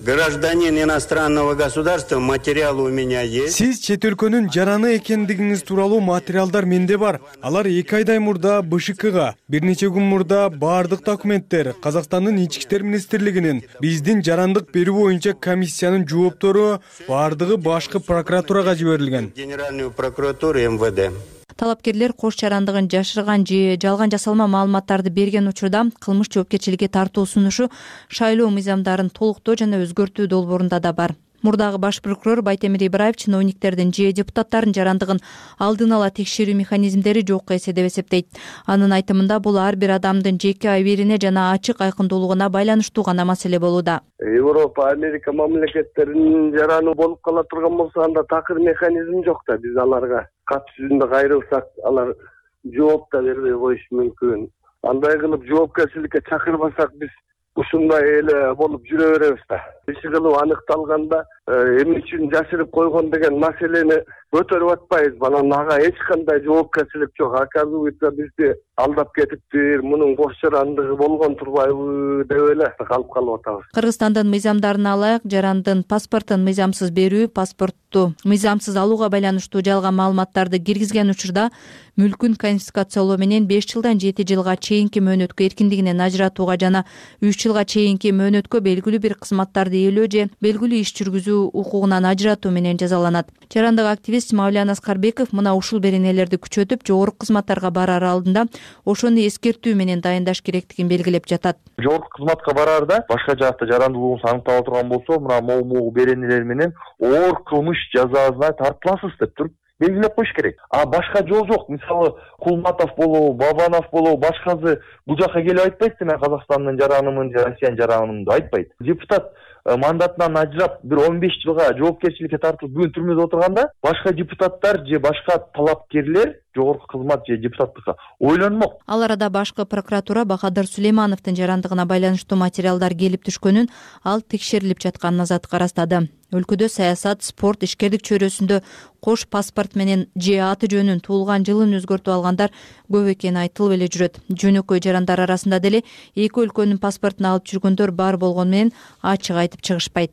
Гражданин иностранного государства, материалы у меня есть.
Сиз чет өлкөнүн жараны экендигиңиз тууралуу материалдар менде бар. Алар 2 айдай мурда БШКга, бир нече күн мурда баардык документтер Казакстандын Ички иштер министрлигинин, биздин жарандык берүү боюнча комиссиянын жооптору баардыгы башкы прокуратурага жиберилген.
Генеральную прокуратуру МВД.
Талапкерлер кош жарандыгын жашырган же жалган жасалма маалыматтарды берген учурда кылмыш жоопкерчиликке тартуу сунушу шайлоо мыйзамдарын толуктоо жана өзгөртүү долбоорунда да бар. Мурдагы баш прокурор Байтемир Ибраев чиновниктердин же депутаттардын жарандыгын алдын ала текшерүү механизмдери жокко эсе деп эсептейт. Анын айтымында бул ар бир адамдын жеке абийирине жана ачык айкындуулугуна байланыштуу гана маселе болууда.
Европа, Америка мамлекеттеринин жараны болуп кала турган болсо, анда такыр механизм жок да. Биз аларга кат жүзүндө кайрылсак, алар жооп да бербей коюшу мүмкүн. Андай кылып жоопкерчиликке чакырбасак, биз ушундай эле болуп жүрө беребиз да. Иши кылып аныкталганда эмне үчүн жашырып койгон деген маселени көтөрүп атпайбыз. Анан ага эч кандай жоопкерчилик жок. Оказывается, бизди алдап кетиптир, мунун кош жарандыгы болгон турбайбы деп эле калып атабыз.
Кыргызстандын мыйзамдарына ылайык жарандын паспортун мыйзамсыз берүү, паспортту мыйзамсыз алууга байланыштуу жалган маалыматтарды киргизген учурда мүлкүн конфискациялоо менен 5 жылдан 7 жылга чейинки мөөнөткө эркиндигинен ажыратууга жана 3 жылга чейинки мөөнөткө белгилүү бир кызматтарды ээлөө же белгилүү иш жүргүзүү укугунан ажыратуу менен жазаланат. Жарандык активист Мавлян Аскарбеков мына ушул беренелерди күчөтүп, жогорку кызматтарга барар алдында ошону эскертүү менен дайындаш керектигин белгилеп жатат.
Жогорку кызматка бараарда башка жакта жарандуулугуңуз аныктала турган болсо, мына могу беренелер менен оор кылмыш жазасына тартыласыз деп туруп белгилеп коюш керек. А башка жол жок. Мисалы, Кулматов болобу, Бабанов болобу, башкасы бул жака келип айтпайт, мен Казакстандын жаранымын же Россиянын жаранымын деп айтпайт. Депутат мандатынан ажырап бир 15 жылга жоопкерчиликке тартылып бүгүн түрмөдө отурганда, башка депутаттар же башка талапкерлер жогорку кызмат же депутаттыкка ойлонмок.
Ал арада башкы прокуратура Бахадыр Сулеймановдун жарандыгына байланыштуу материалдар келип түшкөнүн, ал текшерилип жатканын азаттыкка ырастады. Өлкөдө саясат, спорт, ишкерлик чөйрөсүндө кош паспорт менен же аты жөнүн, туулган жылын өзгөртүп алгандар көп экени айтылып эле жүрөт. Жөнөкөй жарандар арасында деле эки өлкөнүн паспортун алып жүргөндөр бар болгону менен ачык айтып чыгышпайт.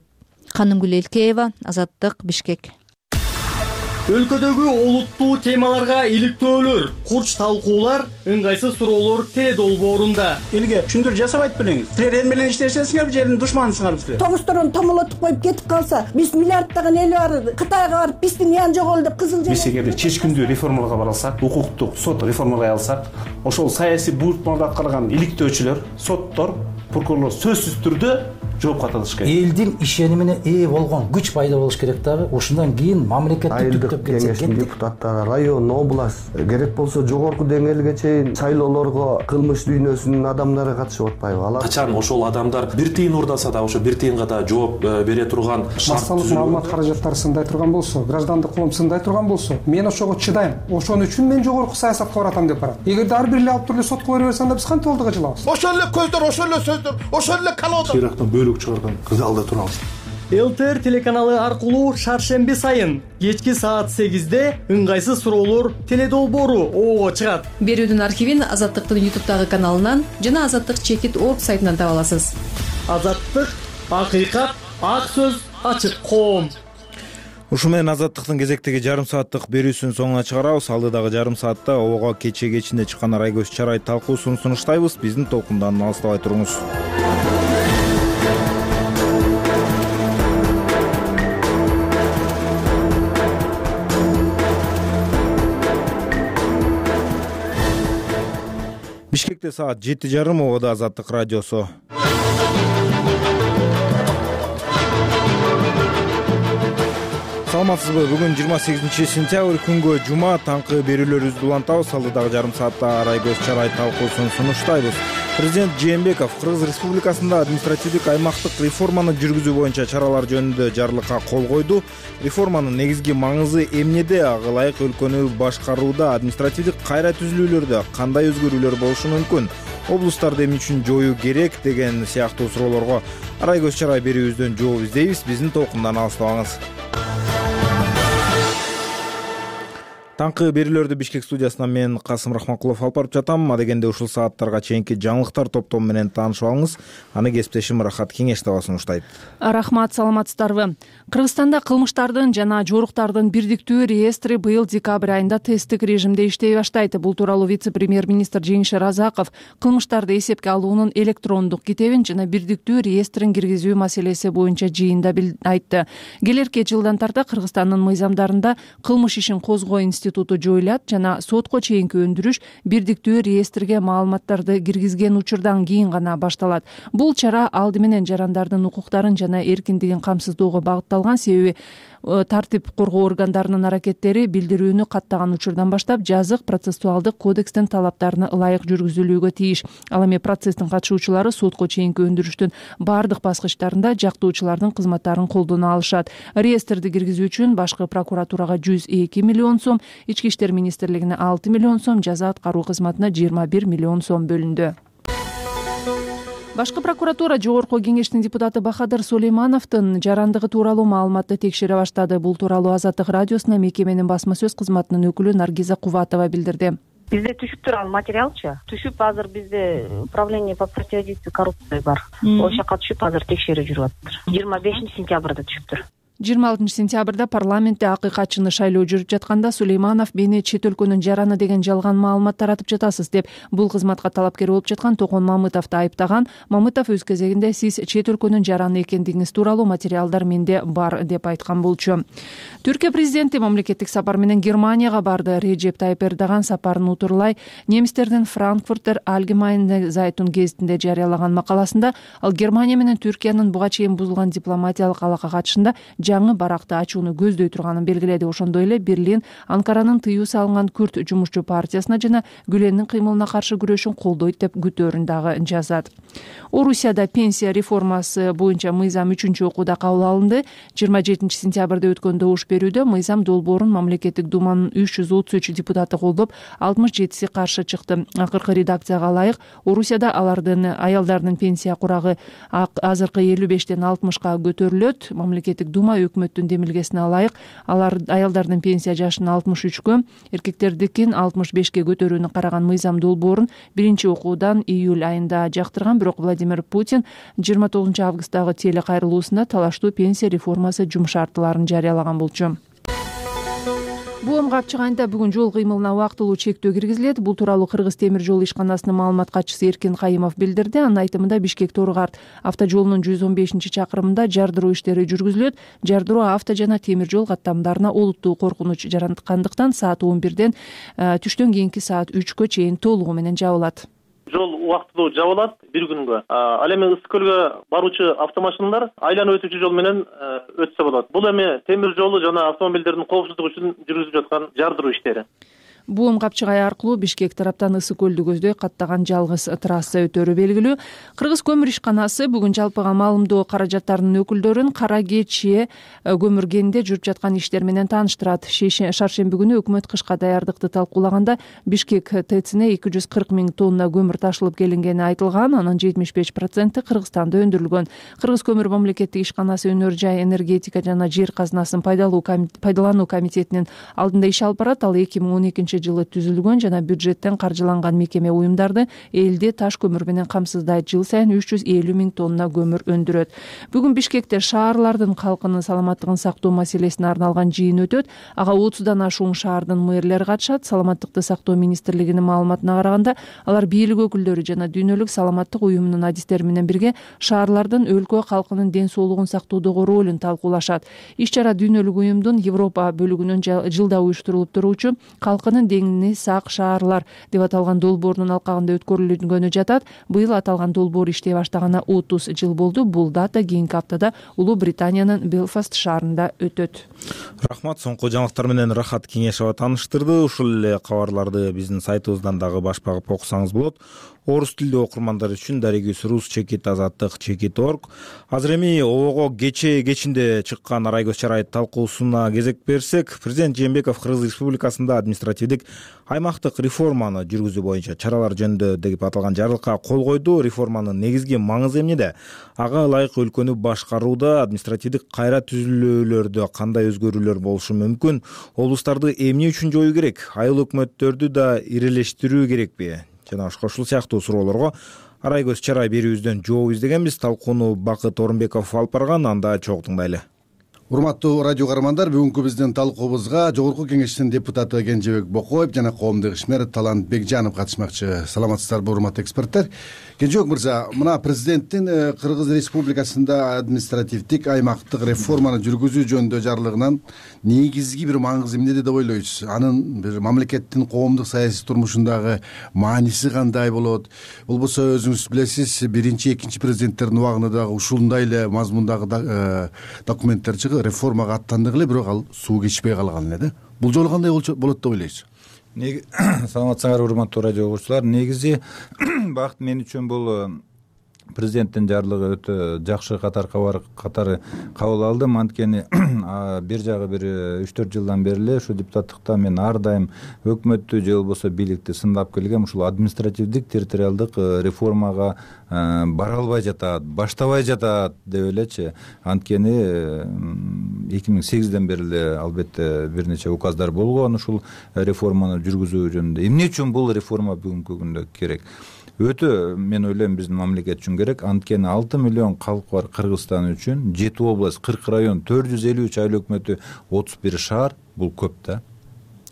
Канымгүл Элкеева, Азаттык, Бишкек.
Өлкөдөгү олуттуу темаларга иликтөөлөр, курч талкуулар, ыңгайсыз суроолор Т долбоорунда.
Элге түшүндүрүү жасабайт белеңиз. Силер эл менен иштешесиңерби, жердин душманысыңарбы силер?
Тоңусторун томолотуп коюп кетип калса, биз миллиарддаган эл бар, Кытайга барып биздин ян жоголду деп кызыл
Биз эгерде чечкиндүү реформаларга бара алсак, укуктук сот реформалай алсак, ошол саясий буйртмаларды аткарган иликтөөчүлөр, соттор, прокурорлор сөзсүз түрдө
жоопко тартылыш керек.
Элдин ишенимине ээ болгон күч пайда болуш керек дагы. Ошондон кийин мамлекетти түптөп кетсе
кеңештин депутаттары район, область, керек болсо жогорку деңгээлге чейин шайлоолорго кылмыш дүйнөсүнүн адамдары катышып атпайбы? Алар
качан ошол адамдар бир тыйын уурдаса да ошо бир тыйынга да жооп бере турган
массалык маалымат каражаттары сындай турган болсо, граждандык коом сындай турган болсо, мен ошого чыдайм. Ошон үчүн мен жогорку саясатка баратам деп барат. Эгерде ар бир эле алып туруп эле сотко бере берсе, анда биз кантип алдыга жылабыз?
Ошол эле көздөр, ошол эле сөздөр, ошол эле колодор.
Ирактан бөлүк чыгарган кызалда турабыз.
ЛТР телеканалы аркылуу шаршемби сайын кечки саат 8-де ыңгайсыз суроолор теледолбоору оого чыгат.
Берүүдүн архивин Азаттыктын YouTube'дагы каналынан жана Азаттык чекит орг сайтынан таба аласыз.
Азаттык, акыйкат, ак сөз, ачык коом.
Ушу менен Азаттыктын кезектеги жарым сааттык берүүсүн соңуна чыгарабыз. Алдыдагы жарым саатта ого кече кечинде чыккан Арайгөз Чарай талкуусун сунуштайбыз. Биздин толкундан алыстабай туруңуз. Бишкекте саат 7:30, Ободо Азаттык радиосу. Саламатсызбы? Бүгүн 28-сентябрь күнгө жума, таңкы берүүлөрүбүздү улантабыз. Алдыдагы жарым саатта Арайгөз Чарай талкуусун сунуштайбыз. Президент Жээнбеков Кыргыз Республикасында административдик аймактык реформаны жүргүзүү боюнча чаралар жөнүндө жарлыкка кол койду. Реформанын негизги маңызы эмнеде? Ага ылайык өлкөнү башкарууда административдик кайра түзүлүүлөрдө кандай өзгөрүүлөр болушу мүмкүн? Облустарды эмне үчүн жоюу керек деген сыяктуу суроолорго Арайгөз Чарай берүүбүздөн жооп издейбиз. Биздин толкундан алыстабаңыз. Таңкы берүүлөрдү Бишкек студиясынан мен Касым Рахманкулов алып барып жатам. Адегенде ушул сааттарга чейинки жаңылыктар топтому менен таанышып алыңыз. Аны кесиптешим Рахат Кеңештова сунуштайт.
Рахмат, саламатсыздарбы? Кыргызстанда кылмыштардын жана жоруктардын бирдиктүү реестри быйыл декабрь айында тесттик режимде иштей баштайт. Бул тууралуу вице-премьер-министр Жеңиш Разаков кылмыштарды эсепке алуунун электрондук китебин жана бирдиктүү реестрин киргизүү маселеси боюнча жыйында айтты. Келерки жылдан тарта Кыргызстандын мыйзамдарында кылмыш ишин козгоо институту жоюлат жана сотко чейинки өндүрүш бирдиктүү реестрге маалыматтарды киргизген учурдан кийин гана башталат. Бул чара алды менен жарандардын укуктарын жана эркиндигин камсыздоого багытталган, себеби тартип коргоо органдарынын аракеттери билдирүүнү каттаган учурдан баштап жазык процессуалдык кодекстин талаптарына ылайык жүргүзүлүүгө тийиш. Ал эми процесстин катышуучулары сотко чейинки өндүрүштүн бардык баскычтарында жактоочулардын кызматтарын колдоно алышат. Реестрди киргизүү үчүн башкы прокуратурага 102 миллион сом, Ички иштер министрлигине 6 миллион сом, жаза аткаруу кызматына 21 миллион сом бөлүндү. Башкы прокуратура Жогорку кеңештин депутаты Бахадыр Сулеймановдун жарандыгы тууралуу маалыматты текшере баштады. Бул тууралуу Азаттык радиосуна мекеменин басма сөз кызматынын өкүлү Наргиза Кубатова билдирди.
Бизде түшүп турган материалчы. Түшүп азыр бизде управление по противодействию коррупции бар. Ошол жака түшүп азыр текшерүү жүрүп атыптыр. 25 сентябрда түшүптүр.
26 сентябрда парламентте акыйкатчыны шайлоо жүрүп жатканда Сулейманов мени чет өлкөнүн жараны деген жалган маалымат таратып жатасыз деп бул кызматка талапкер болуп жаткан Токон Мамытовду айыптаган. Мамытов өз кезегинде сиз чет өлкөнүн жараны экендигиңиз тууралуу материалдар менде бар деп айткан болчу. Түркия президенти мамлекеттик сапар менен Германияга барды. Реджеп Тайып Эрдоган сапарын утурлай немистердин Frankfurter Allgemeine Zeitung гезитинде жарыялаган макаласында ал Германия менен Түркиянын буга чейин бузулган дипломатиялык алака катышында жаңы баракты ачууну көздөй турганын белгиледи. Ошондой эле Берлин Анкаранын тыюу салынган Күрт жумушчу партиясына жана Гүленин кыймылына каршы күрөшүн колдойт деп күтөөрүн дагы жазат. Орусияда пенсия реформасы боюнча мыйзам 3-чү окууда кабыл алынды. 27 сентябрда өткөн добуш берүүдө мыйзам долбоорун мамлекеттик думанын 333 депутаты колдоп, 67си каршы чыкты. Акыркы редакцияга ылайык Орусияда аялдардын пенсия курагы азыркы 55ден 60ка көтөрүлөт. Мамлекеттик дума өкмөттүн демилгесине ылайык аялдардын пенсия жашын 63кө, эркектердикин 65ке көтөрүүнү караган мыйзам долбоорун 1-окуудан июль айында жактырган. Бирок Владимир Путин 29 августтагы телекайрылуусунда талаштуу пенсия реформасы жум шартталарын жарыялаган болчу. БУМ капчык айында бүгүн жол кыймылына убактылуу чектөө киргизилет. Бул тууралуу Кыргыз темир жол ишканасынын маалымат катчысы Эркин Кайымов билдирди. Анын айтымында Бишкек-Тору-Карт автожолунун 115-чакырымында жардыруу иштери жүргүзүлөт. Жардыруу авто жана темир жол каттамдарына олуттуу коркунуч жараткандыктан саат 11ден түштөн кийинки саат 3кө чейин толугу менен жабылат.
Жол убактылуу жабылат бир күнгө. Ал эми Ысык көлгө баруучу автомашиналар айланып өтүүчү жол менен өтсө болот. Бул эми темир жолу жана автомобилдердин коопсуздугу үчүн жүргүзүлүп жаткан жардыруу иштери.
Буум Капчыгай аркылуу Бишкек тараптан Ысык көлдү көздөй каттаган жалгыз трасса өтөрү белгилүү. Кыргыз көмүр ишканасы бүгүн жалпыга маалымдоо каражаттарынын өкүлдөрүн Кара Кечи көмүр кенинде жүрүп жаткан иштер менен тааныштырат. Шаршемби күнү өкмөт кышка даярдыкты талкуулаганда Бишкек ТЭЦине 240 000 тонна көмүр ташылып келингени айтылган. Анын 75% Кыргызстанда өндүрүлгөн. Кыргыз көмүр мамлекеттик ишканасы өнөр жай, энергетика жана жер казынасын пайдалануу комитетинин алдында иш алып барат. Ал 2012 жылы түзүлгөн жана бюджеттен каржыланган мекеме уюмдарды элди таш көмүр менен камсыздайт. Жыл сайын 350 000 тонна көмүр өндүрөт. Бүгүн Бишкекте шаарлардын калкынын саламаттыгын сактоо маселесине арналган жыйын өтөт. Ага 30дан ашуун шаардын мэрлери катышат. Саламаттыкты сактоо министрлигинин маалыматына караганда, алар бийлик өкүлдөрү жана дүйнөлүк саламаттык уюмунун адистери менен бирге шаарлардын өлкө калкынын ден соолугун сактоодогу ролун талкуулашат. Иш-чара дүйнөлүк уюмдун Европа бөлүгүнүн жылда уюштурулуп туруучу калкынын деңини сак шаарлар деп аталган долбоорунун алкагында өткөрүлгөнү жатат. Быйыл аталган долбоор иштей баштаганы 30 жыл болду. Бул дата кийинки аптада Улуу Британиянын Белфаст шаарында өтөт.
Рахмат. Соңку жаңылыктар менен Рахат Кеңешова тааныштырды. Ушул эле кабарларды биздин сайтыбыздан дагы баш багып окусаңыз болот. Орус тилдүү окурмандар үчүн Дарегиз Рус /Азаттык/org. Азыр эми обого кечинде чыккан Арайгөз Чарай талкуусуна кезек берсек, президент Жээнбеков Кыргыз Республикасында административдик аймактык реформаны жүргүзүү боюнча чаралар жөнүндө деп аталган жарлыкка кол койду. Реформанын негизги маңызы эмнеде? Ага ылайык өлкөнү башкарууда административдик кайра түзүлүүлөрдө кандай өзгөрүүлөр болушу мүмкүн? Облустарды эмне үчүн жоюу керек? Айыл өкмөттөрдү да ирелештирүү керекпи? Жана ушул сыяктуу суроолорго Арайгөз Чарай берүүбүздөн жооп издегенбиз. Талкууну Бакыт Орунбеков алып барган. Анда чогуу тыңдайлы.
Урматтуу радио каармандар, бүгүнкү биздин талкуубузга Жогорку Кеңештин депутаты Кенжебек Бокоев жана коомдук ишмер Талант Бекжанов катышмакчы. Саламатсыздарбы, урматтуу эксперттер? Кенжебек мырза, мына президенттин Кыргыз Республикасында административдик аймактык реформаны жүргүзүү жөнүндө жарлыгынан негизги бир маңызы эмнеде деп ойлойсуз? Анын бир мамлекеттин коомдук саясий турмушундагы мааниси кандай болот? Болбосо өзүңүз билесиз, биринчи, экинчи президенттердин убагында дагы ушундай эле мазмундагы документтер чыгып, реформага аттандык эле, бирок ал суу кечпей калган эле да. Бул жолу кандай болот деп ойлойсуз?
Саламатсыңар, урматтуу радио угуучулар. Негизи бакыт мен үчүн бул президенттин жарлыгы өтө жакшы катары кабыл алдым. Анткени бир жагы бир 3-4 жылдан бери эле ушу депутаттыкта мен ар дайым өкмөттү же болбосо бийликти сындап келгем. Ушул административдик территориалдык реформага бара албай жатат, баштабай жатат деп элечи. Анткени 2008ден бери эле албетте бир нече указдар болгон ушул реформаны жүргүзүү жөнүндө. Эмне үчүн бул реформа бүгүнкү күндө керек? Өтө мен ойлойм биздин мамлекет үчүн керек. Анткени 6 миллион калкы бар Кыргызстан үчүн 7 область, 40 район, 453 айыл өкмөтү, 31 шаар бул көп да.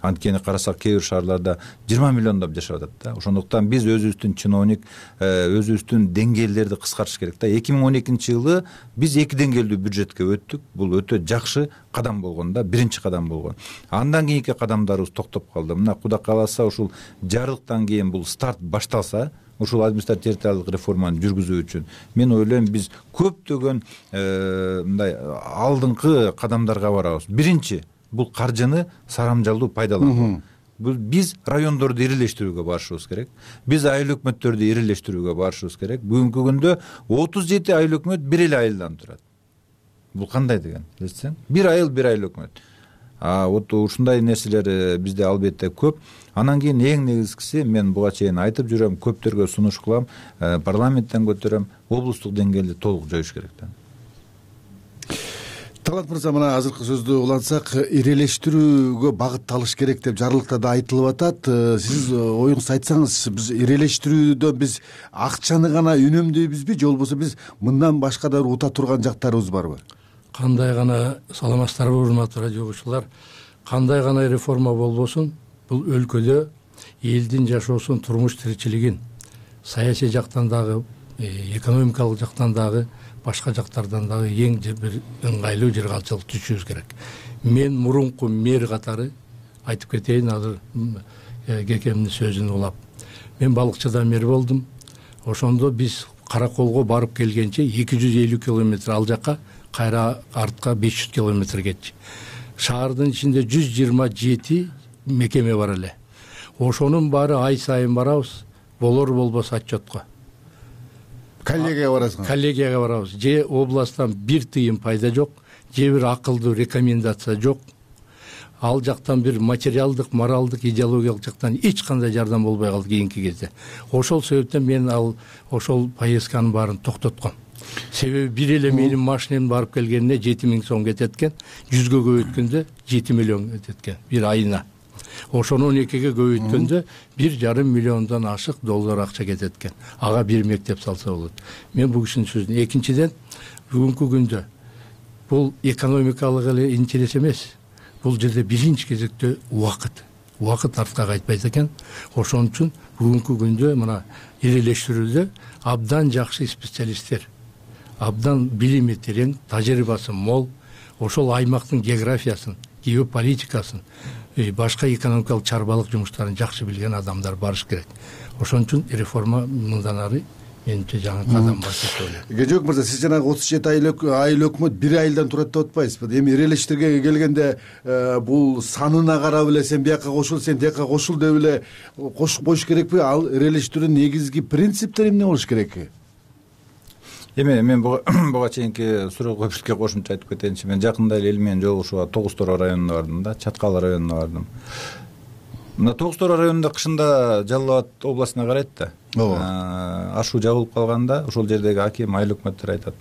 Анткени карасак кээ бир шаарларда 20 миллиондоп жашап атат да. Ошондуктан биз өзүбүздүн чиновник, өзүбүздүн деңгээлдерди кыскартыш керек да. 2012-жылы биз 2 деңгээлдүү бюджетке өттүк. Бул өтө жакшы кадам болгон да, биринчи кадам болгон. Андан кийинки кадамдарыбыз токтоп калды. Мына Кудай кааласа ушул жарлыктан кийин бул старт башталса, ушул административдик территориалдык реформаны жүргүзүү үчүн мен ойлойм биз көптөгөн мындай алдыңкы кадамдарга барабыз. Биринчи, бул каржыны сарамжалдуу пайдалануу. Биз райондорду ирелештирүүгө барышыбыз керек. Биз айыл өкмөттөрдү ирелештирүүгө барышыбыз керек. Бүгүнкү күндө 37 айыл өкмөт бир эле айылдан турат. Бул кандай деген? Билесиң? Бир айыл өкмөт. Вот ушундай нерселер бизде албетте көп. Анан кийин эң негизгиси, мен буга чейин айтып жүрөм, көптөргө сунуш кылам, парламенттен көтөрөм, облустук деңгээлде толук жоюш керек да.
Талант мырза, мына азыркы сөздү улантсак, ирелештирүүгө багытталыш керек деп жарлыкта да айтылып атат. Сиз оюңузду айтсаңыз, биз ирелештирүүдө биз акчаны гана үнөмдөйбүзбү, же болбосо биз мындан башка да ута турган жактарыбыз барбы?
Кандай гана, саламатсыздарбы, урматтуу радио угуучулар, кандай гана реформа болбосун, бул өлкөдө элдин жашоосун, турмуш тиричилигин, саясий жактан дагы, экономикалык жактан дагы, башка жактардан дагы эң бир ыңгайлуу жыргалчылык түзүшүбүз керек. Мен мурунку мэр катары айтып кетейин, азыр кекемдин сөзүн улап. Мен балыкчыда мэр болдум. ошондо биз Караколго барып келгенче 250 километр ал жака, кайра артка 500 километр кетчи. Шаардын ичинде 127 мекеме бар эле. Ошонун баары ай сайын барабыз, болор болбос отчетко.
Коллегияга барасыңар?
Коллегияга барабыз. Же областтан бир тыйын пайда жок, же бир акылдуу рекомендация жок. Ал жактан бир материалдык, моралдык, идеологиялык жактан эч кандай жардам болбой калды кийинки кезде. Ошол себептен мен ошол поездканын баарын токтотком. Себеби бир эле менин машинем барып келгенине 7000 сом кетет экен, 100гө көбөйткөндө 7 миллион кетет экен бир айына. Ошону 12ге көбөйткөндө 1,5 миллиондон ашык доллар акча кетет экен. Ага бир мектеп салса болот. Мен бул кишинин сөзүн. Экинчиден, бүгүнкү күндө бул экономикалык эле интерес эмес. Бул жерде биринчи кезекте убакыт артка кайтпайт экен. Ошон үчүн бүгүнкү күндө мына ирелештирүүдө абдан жакшы специалисттер, абдан билими терең, тажрыйбасы мол, ошол аймактын географиясын, геополитикасын, башка экономикалык чарбалык жумуштарын жакшы билген адамдар барыш керек. Ошон үчүн реформа мындан ары менимче жаңы кадам бар деп ойлойм.
Кежебек мырза, сиз жанагы 37 айыл өкмөт 1 айылдан турат деп атпайсызбы? Эми ирелештирге келгенде бул санына карап эле сен бияка кошул, сен тияка кошул деп эле кошуп коюш керекпи? Ал ирелештирүүнүн негизги принциптери эмне болуш керек?
Эми мен буга чейинки суроого бирге кошумча айтып кетейинчи. Мен жакында эле эл менен жолугушууга Тогуз Тоор районуна бардым да, Чаткал районуна бардым. Мына Тогуз Тоор районунда кышында Жалал Абад областына карайт да. Ашуу жабылып калганда ошол жердеги аким, айыл өкмөттөр айтат.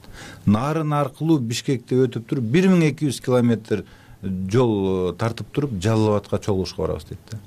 Нарын аркылуу Бишкекте өтүп туруп 1200 километр жол тартып туруп Жалал Абадка чогулушка барабыз дейт да.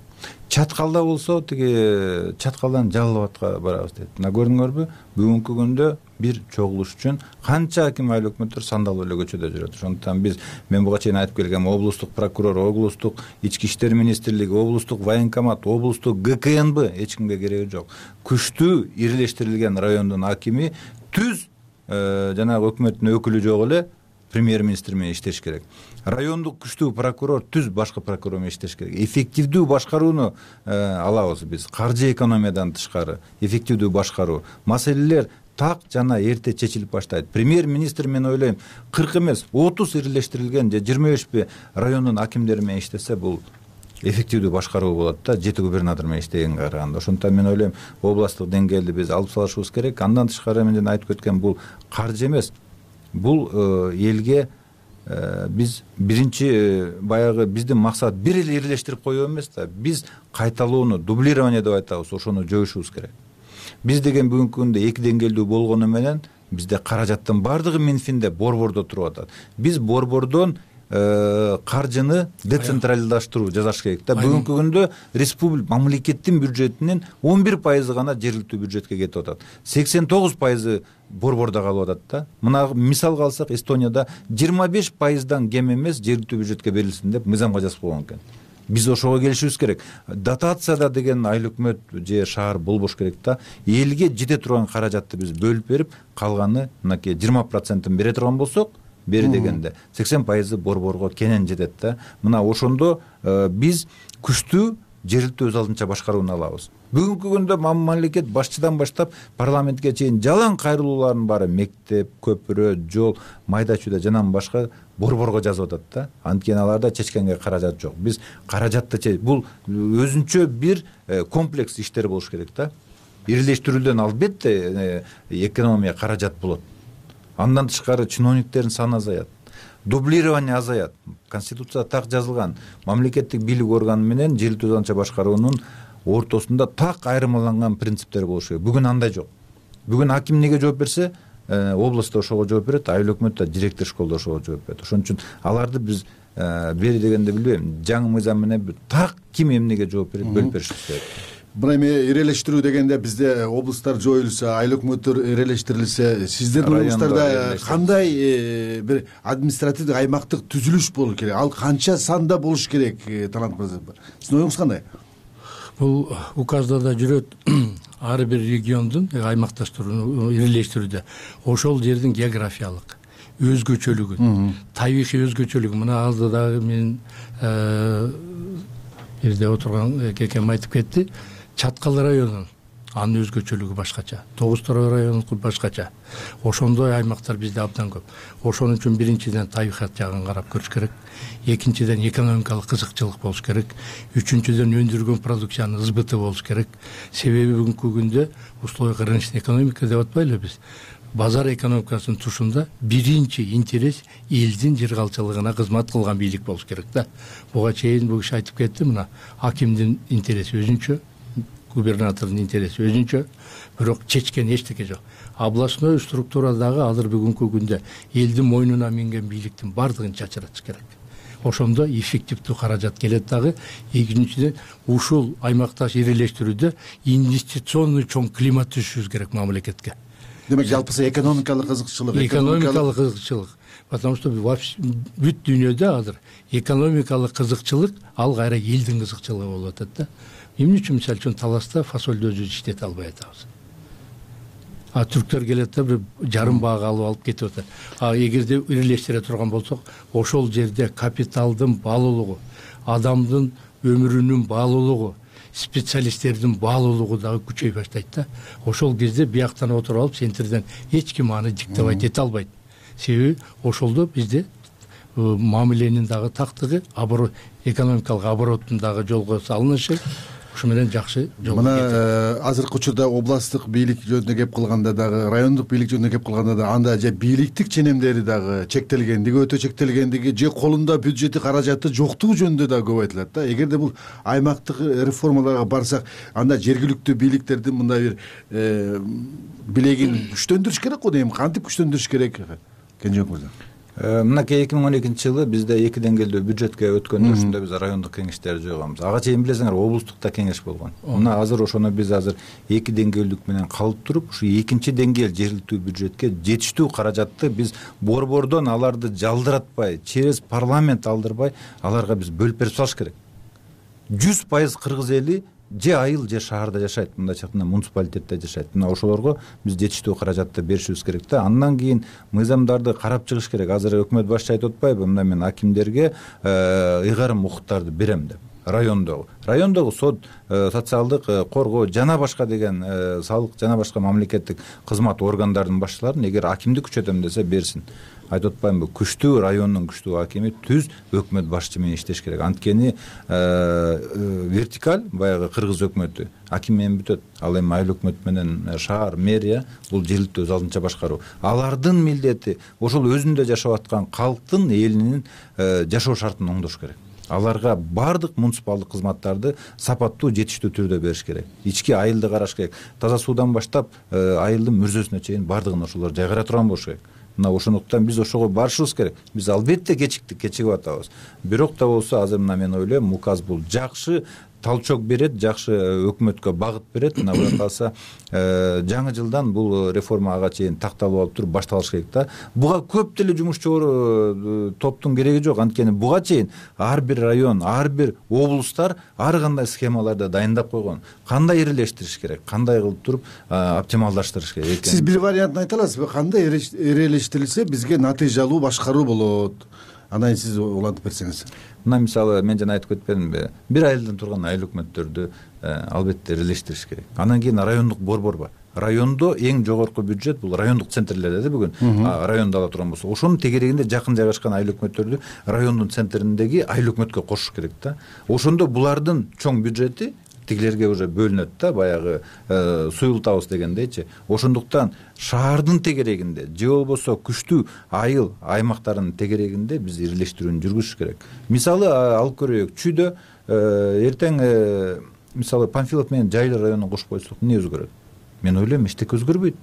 Чаткалда болсо тиги Чаткалдан Жалал Абадка барабыз дейт. Мына көрдүңөрбү? Бүгүнкү күндө бир чогулуш үчүн канча аким, айыл өкмөттөр сандалып эле көчөдө жүрөт. Ошондуктан мен буга чейин айтып келгем, облустук прокурор, облустук ички иштер министрлиги, облустук военкомат, облустук ГКНБ эч кимге кереги жок. Күчтүү ирелештирилген райондун акими түз жанагы өкмөттүн өкүлү жок эле премьер-министр менен иштеш керек. Райондук күчтүү прокурор түз башкы прокурор менен иштеш керек. Эффективдүү башкарууну алабыз биз. Каржы экономиядан тышкары эффективдүү башкаруу маселелер так жана эрте чечилип баштайт. Премьер-министр мен ойлойм 40 эмес 30 ирелештирилген же 25 райондун акимдери менен иштесе бул эффективдүү башкаруу болот да, 7 губернатор менен иштегенге караганда. Ошондуктан мен ойлойм областтык деңгээлде биз алып салышыбыз керек. Андан тышкары мен жана айтып кеткен бул каржы эмес. Бул элге биз биринчи баягы биздин максат бир эле ирелештирип коюу эмес да. Биз кайталоону, дублирование деп айтабыз, ошону жоюшубуз керек. Биз деген бүгүнкү күндө 2 деңгээлдүү болгону менен бизде каражаттын баардыгы Минфинде, борбордо туруп атат. Биз борбордон каржыны децентралдаштыруу жасаш керек да. Бүгүнкү күндө республика мамлекеттин бюджетинин 11% гана жергиликтүү бюджетке кетип атат. 89% борбордо калып атат да. Мына мисалга алсак, Эстонияда 25%дан кем эмес жергиликтүү бюджетке берилсин деп мыйзамга жазып койгон экен. Биз ошого келишибиз керек. Дотацияда деген айыл өкмөт же шаар болбош керек да. Элге жете турган каражатты биз бөлүп берип, калганы мынакей 20%-ын бере турган болсок, бери дегенде 80% борборго кенен жетет да. Мына ошондо биз күчтүү жергиликтүү өз алдынча башкарууну алабыз. Бүгүнкү күндө мамлекет башчыдан баштап парламентке чейин жалаң кайрылуулардын баары мектеп, көпүрө, жол, майда чүйдө жанан башка борборго жазып атат да. Анткени аларда чечкенге каражат жок. Биз каражатты бул өзүнчө бир комплекс иштер болуш керек да. Ирелештирүүдөн албетте экономия каражат болот. Андан тышкары чиновниктердин саны азаят. Дублирование азаят. Конституцияда так жазылган. Мамлекеттик бийлик органы менен жергиликтүү өз алдынча башкаруунун ортосунда так айырмаланган принциптер болуш керек. Бүгүн андай жок. Бүгүн аким эмнеге жооп берсе, областта ошого жооп берет, айыл өкмөттө директор школдо ошого жооп берет. Ошон үчүн аларды биз бери дегенде билбейм, жаңы мыйзам менен так ким эмнеге жооп берет, бөлүп беришибиз керек.
Мына эми ирелештирүү дегенде бизде облустар жоюлса, айыл өкмөттөр ирелештирилсе, сиздердин облустарда кандай бир административдик аймактык түзүлүш болуш керек? Ал канча санда болуш керек, Талант мырза? Сиздин оюңуз кандай?
Бул указда да жүрөт. Ар бир региондун аймакташтырууну ирелештирүүдө ошол жердин географиялык өзгөчөлүгүн, табигый өзгөчөлүгүн, мына алдыдагы мен жерде отурган кекем айтып кетти. Чаткал районунун анын өзгөчөлүгү башкача, Тогуз Торой районунку башкача. Ошондой аймактар бизде абдан көп. Ошон үчүн биринчиден табигат жагын карап көрүш керек. Экинчиден экономикалык кызыкчылык болуш керек. Үчүнчүдөн өндүргөн продукциянын ызбыты болуш керек. Себеби бүгүнкү күндө условия рыночной экономика деп атпайлы биз. Базар экономикасынын тушунда биринчи интерес элдин жыргалчылыгына кызмат кылган бийлик болуш керек да. Буга чейин бул киши айтып кетти, мына акимдин интереси өзүнчө, губернатордун интереси өзүнчө, бирок чечкен эчтеке жок. Областной структурадагы азыр бүгүнкү күндө элдин мойнуна минген бийликтин бардыгын чачыратыш керек. Ошондо эффективдүү каражат келет дагы. Экинчиден, ушул аймакташ ирелештирүүдө инвестиционный чоң климат түзүшүбүз керек мамлекетке.
Демек жалпысы экономикалык кызыкчылык.
Экономикалык кызыкчылык. Потому что бүт дүйнөдө азыр экономикалык кызыкчылык ал кайра элдин кызыкчылыгы болуп атат да. Эмне үчүн мисалы үчүн Таласта фасолду өзүбүз иштете албай атабыз. Түрктөр келет да бир жарым баага алып кетип атат. Эгерде ирелештире турган болсок, ошол жерде капиталдын баалуулугу, адамдын өмүрүнүн баалуулугу, специалисттердин баалуулугу дагы күчөй баштайт да. Ошол кезде бияктан отуруп алып центрден эч ким аны диктовать эте албайт. Себеби ошолдо бизде мамиленин дагы тактыгы, экономикалык обороттун дагы жолго салынышы, ушу менен жакшы жол.
Мына азыркы учурда областтык бийлик жөнүндө кеп кылганда дагы, райондук бийлик жөнүндө кеп кылганда да анда же бийликтик ченемдери дагы чектелгендиги, өтө чектелгендиги, же колунда бюджети каражаты жоктугу жөнүндө дагы көп айтылат да. Эгерде бул аймактык реформаларга барсак, анда жергиликтүү бийликтердин мындай бир билегин күчтөндүрүш керек го дейм. Кантип күчтөндүрүш керек, Кенжебек мырза?
Мынакей 2012 жылы бизде 2 деңгээлдүү бюджетке өткөндө ошондо биз райондук кеңештерди жойгонбуз. Ага чейин билесиңер, облустукта кеңеш болгон. Мына азыр ошону биз азыр 2 деңгээлдик менен калып туруп, ушу экинчи деңгээл жергиликтүү бюджетке жетиштүү каражатты биз борбордон аларды жалдыратпай, через парламент алдырбай, аларга биз бөлүп берип салыш керек. 100% кыргыз эли же айыл же шаарда жашайт, мындайча айтканда муниципалитетте жашайт. Мына ошолорго биз жетиштүү каражатты беришибиз керек да. Андан кийин мыйзамдарды карап чыгыш керек. Азыр өкмөт башчы айтып атпайбы, мына мен акимдерге ыйгарым укуктарды берем деп. Райондогу сот, социалдык коргоо жана башка деген салык жана башка мамлекеттик кызмат органдарынын башчыларын эгер акимдик күчөтөм десе берсин. Айтып атпаймынбы, күчтүү райондун күчтүү акими түз өкмөт башчы менен иштеш керек. Анткени вертикаль баягы кыргыз өкмөтү аким менен бүтөт. Ал эми айыл өкмөт менен шаар, мэрия бул жергиликтүү өз алдынча башкаруу. Алардын милдети ошол өзүндө жашап аткан калктын элинин жашоо шартын оңдош керек. Аларга бардык муниципалдык кызматтарды сапаттуу, жетиштүү түрдө бериш керек. Ички айылды караш керек. Таза суудан баштап айылдын мүрзөсүнө чейин бардыгын ошолор жайгара турган болуш керек. Мына ошондуктан биз ошого барышыбыз керек. Биз албетте кечигип атабыз. Бирок да болсо азыр мына мен ойлойм, указ бул жакшы талчок берет, жакшы өкмөткө багыт берет. Мына буга калса жаңы жылдан бул реформа ага чейин такталып алып туруп башталыш керек да. Буга көп деле жумушчу топтун кереги жок. Анткени буга чейин ар бир район, ар бир облустар ар кандай схемаларды дайындап койгон. Кандай ирелештириш керек, кандай кылып туруп оптималдаштырыш керек.
Сиз бир вариантын айта аласызбы? Кандай ирелештирилсе бизге натыйжалуу башкаруу болот? Андан сиз улантып берсеңиз.
Мына мисалы мен жана айтып кетпедимби? Бир айылдан турган айыл өкмөттөрдү албетте ирелештириш керек. Андан кийин райондук борбор бар. Райондо эң жогорку бюджет бул райондук центрлерде бүгүн. Райондо ала турган болсо, ошонун тегерегинде жакын жайгашкан айыл өкмөттөрдү райондун центриндеги айыл өкмөткө кошуш керек да. Ошондо булардын чоң бюджети тигилерге уже бөлүнөт да, баягы суюлтабыз дегендейчи. Ошондуктан шаардын тегерегинде же болбосо күчтүү айыл аймактарынын тегерегинде биз ирелештирүүнү жүргүзүш керек. Мисалы алып көрөйүк, Чүйдө эртең мисалы Панфилов менен Жайлы районун кошуп койсок эмне өзгөрөт? Мен ойлойм, эчтеке өзгөрбөйт.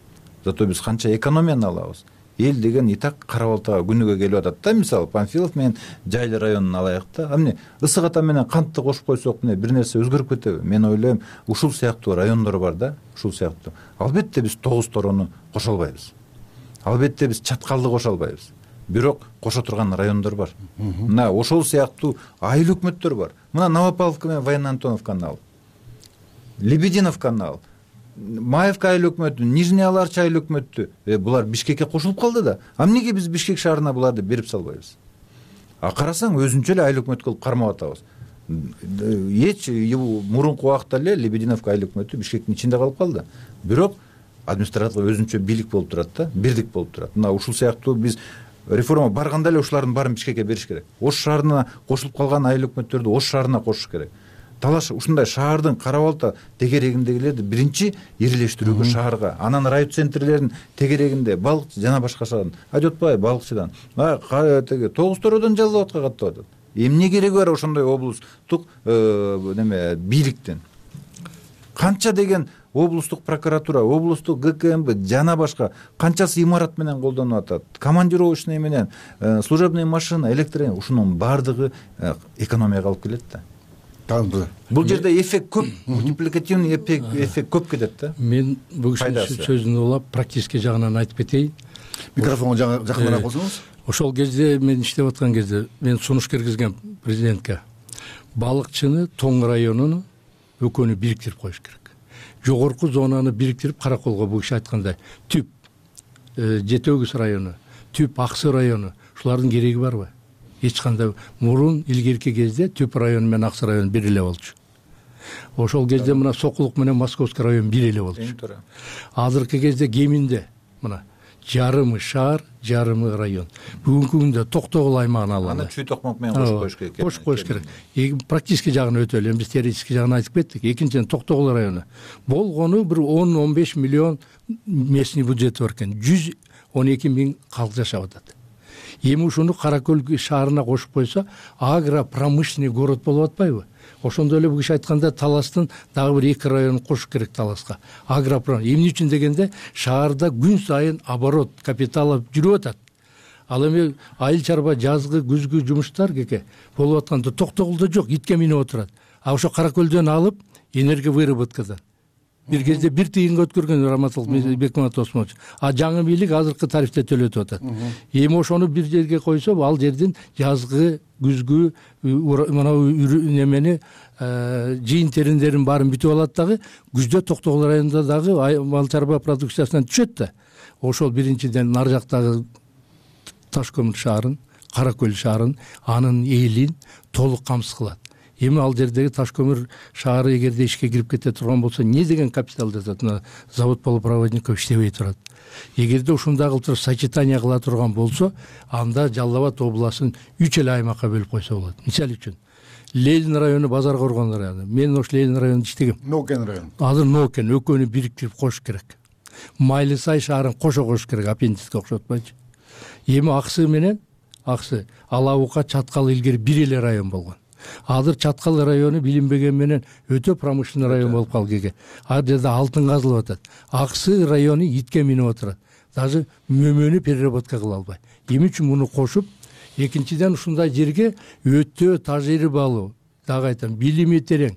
Зато биз канча экономияны алабыз. Эл деген и так кара балтага күнүгө келип атат да, мисалы Панфилов менен Жайлы районун алайык да. Эмне ысык ата менен кантты кошуп койсок эмне бир нерсе өзгөрүп кетеби? Мен ойлойм, ушул сыяктуу райондор бар да, ушул сыяктуу. Албетте биз Тогуз Торону кошо албайбыз. Албетте биз Чаткалды кошо албайбыз. Бирок кошо турган райондор бар. Мына ошол сыяктуу айыл өкмөттөр бар. Мына Новопавловка менен Военно-Антоновканы ал, Лебединовканы ал, Маевка айыл өкмөтү, Нижний Аларча айыл өкмөтү, булар Бишкекке кошулуп калды да. Эмнеге биз Бишкек шаарына буларды берип салбайбыз? Карасаң өзүнчө эле айыл өкмөт кылып кармап атабыз. эч мурунку убакта эле Лебединовка айыл өкмөтү Бишкектин ичинде калып калды, бирок администрациялык өзүнчө бийлик болуп турат да, бирдик болуп турат. Мына ушул сыяктуу биз реформа барганда эле ушулардын баарын Бишкекке бериш керек. Ош шаарына кошулуп калган айыл өкмөттөрдү Ош шаарына кошуш керек. Талаш ушундай шаардын кара балта тегерегиндегилерди биринчи ирилештирүүгө шаарга, анан район центрлердин тегерегинде балыкчы жана башка шаардын айтып атпайбы, балыкчыдан теге Тогуз Тородон жалал абадка каттап атат. Эмне кереги бар ошондой облустук неме бийликтен? Канча деген облустук прокуратура, облустук ГКМБ жана башка канчасы имарат менен колдонуп атат, командировочный менен, служебный машина, электроэнергия, ушунун баардыгы экономияга алып келет да. Бул жерде эффект көп, мультипликативный эффект көп кетет да.
Мен бул кишинин сөзүн улап практический жагынан айтып кетейин.
Микрофонго жакыныраак болсоңуз.
Ошол кезде мен иштеп аткан кезде мен сунуш киргизгем президентке. Балыкчыны, Тоң районуну экөөнү бириктирип коюш керек. Жогорку зонаны бириктирип, Караколго бул киши айткандай түп Жети Өгүз району, түп Аксы району, ушулардын кереги барбы? Эч кандай. Мурун илгерки кезде түп район менен Аксы район бир эле болчу. Ошол кезде мына Сокулук менен Московский район бир эле болчу. Азыркы кезде кеминде мына жарымы шаар, жарымы район. Бүгүнкү күндө Токтогул аймагын алалы.
Аны Чүй Токмок менен кошуп коюш керек.
Кошуп коюш керек. Практически жагын өтө эле, биз теоретический жагын айтып кеттик. Экинчиден Токтогул району болгону бир 10-15 миллион местный бюджети бар экен. 112 миң калк жашап атат. Эми ушуну Каракөл шаарына кошуп койсо, агропромышленный город болуп атпайбы? Ошондой эле бул киши айтканда Таластын дагы бир 2 районун кошуш керек Таласка. Эмне үчүн дегенде, шаарда күн сайын оборот, капитал жүрүп атат. Ал эми айыл чарба жазгы, күзгү жумуштар кеке болуп атканда Токтогулда жок, итке минип отурат. А ошо Каракөлдөн алып энергия выработкадан бир кезде 1 тыйынга өткөргөн Раматул Бекмаматов Осмонович. А жаңы бийлик азыркы тарифте төлөтүп атат. Эми ошону бир жерге койсо, ал жердин жазгы, күзгү мына немени жыйын териндерин баарын бүтүп алат дагы, күздө Токтогул районунда дагы мал чарба продукциясынан түшөт да. Ошол биринчиден нар жактагы Ташкөмүр шаарын, Каракөл шаарын, анын элин толук камсыз кылат. Эми ал жердеги Ташкөмүр шаары эгерде ишке кирип кете турган болсо, эмне деген капитал жатат? Завод полупроводников иштебей турат. Эгерде ушундай кылып туруп сочетание кыла турган болсо, анда Жалал Абад областын 3 эле аймакка бөлүп койсо болот. Мисалы үчүн Ленин району, Базар Коргон району. Мен ош Ленин районунда иштегем.
Нокен району.
Азыр Нокен экөөнү бириктирип коюш керек. Майлы Сай шаарын кошо коюш керек, аппендицке окшотпойчу. Эми Аксы менен Алабука, Чаткал илгери бир эле район болгон. Азыр Чаткал району билинбеген менен өтө промышленный район болуп калган. Ал жерде алтын казылып атат. Аксы району итке минип отурат. Даже мөмөнү переработка кыла албай. Эмне үчүн муну кошуп, экинчиден ушундай жерге өтө тажрыйбалуу, дагы айтам, билими терең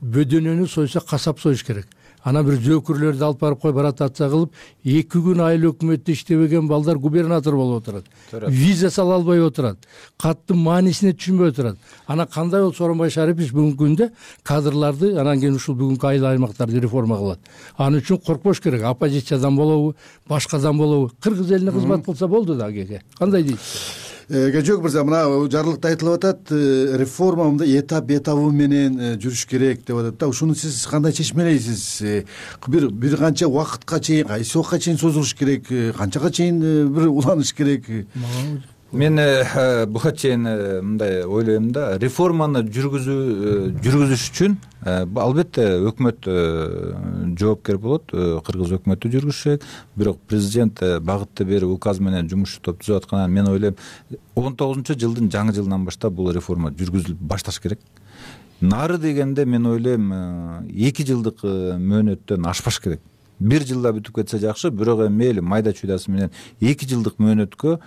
бөдөнөнү сойсо касап союш керек. Ана бир зөөкүрлөрдү алып барып койуп ротация кылып, 2 күн айыл өкмөттө иштебеген балдар губернатор болуп отурат. Виза сала албай отурат. Каттын маанисине түшүнбөй отурат. Ана кандай болуп Сооронбай Шарипович бүгүнкү күндө кадрларды анан кийин ушул бүгүнкү айыл аймактарды реформа кылат. Аны үчүн коркпош керек. Оппозициядан болобу, башкадан болобу, кыргыз элине кызмат кылса болду да кеке. Кандай дейсиз?
Жок мырза, мына жарлыкта айтылып атат, реформа мындай этабы менен жүрүш керек деп атат да. Ушуну сиз кандай чечмелейсиз? Бир канча убакытка чейин, кайсы убакытка чейин созулуш керек, канчага чейин бир уланыш керек?
Мен буга чейин мындай ойлойм да, реформаны жүргүзүш үчүн албетте өкмөт жоопкер болот, кыргыз өкмөтү жүргүзүшөт, бирок президент багытты берип указ менен жумушчу топ түзүп атканын мен ойлойм, 19-жылдын жаңы жылынан баштап бул реформа жүргүзүлүп башташ керек. Нары дегенде мен ойлойм 2 жылдык мөөнөттөн ашпаш керек. 1 жылда бүтүп кетсе жакшы, бирок эми мейли майда чуйдасы менен 2 жылдык мөөнөткө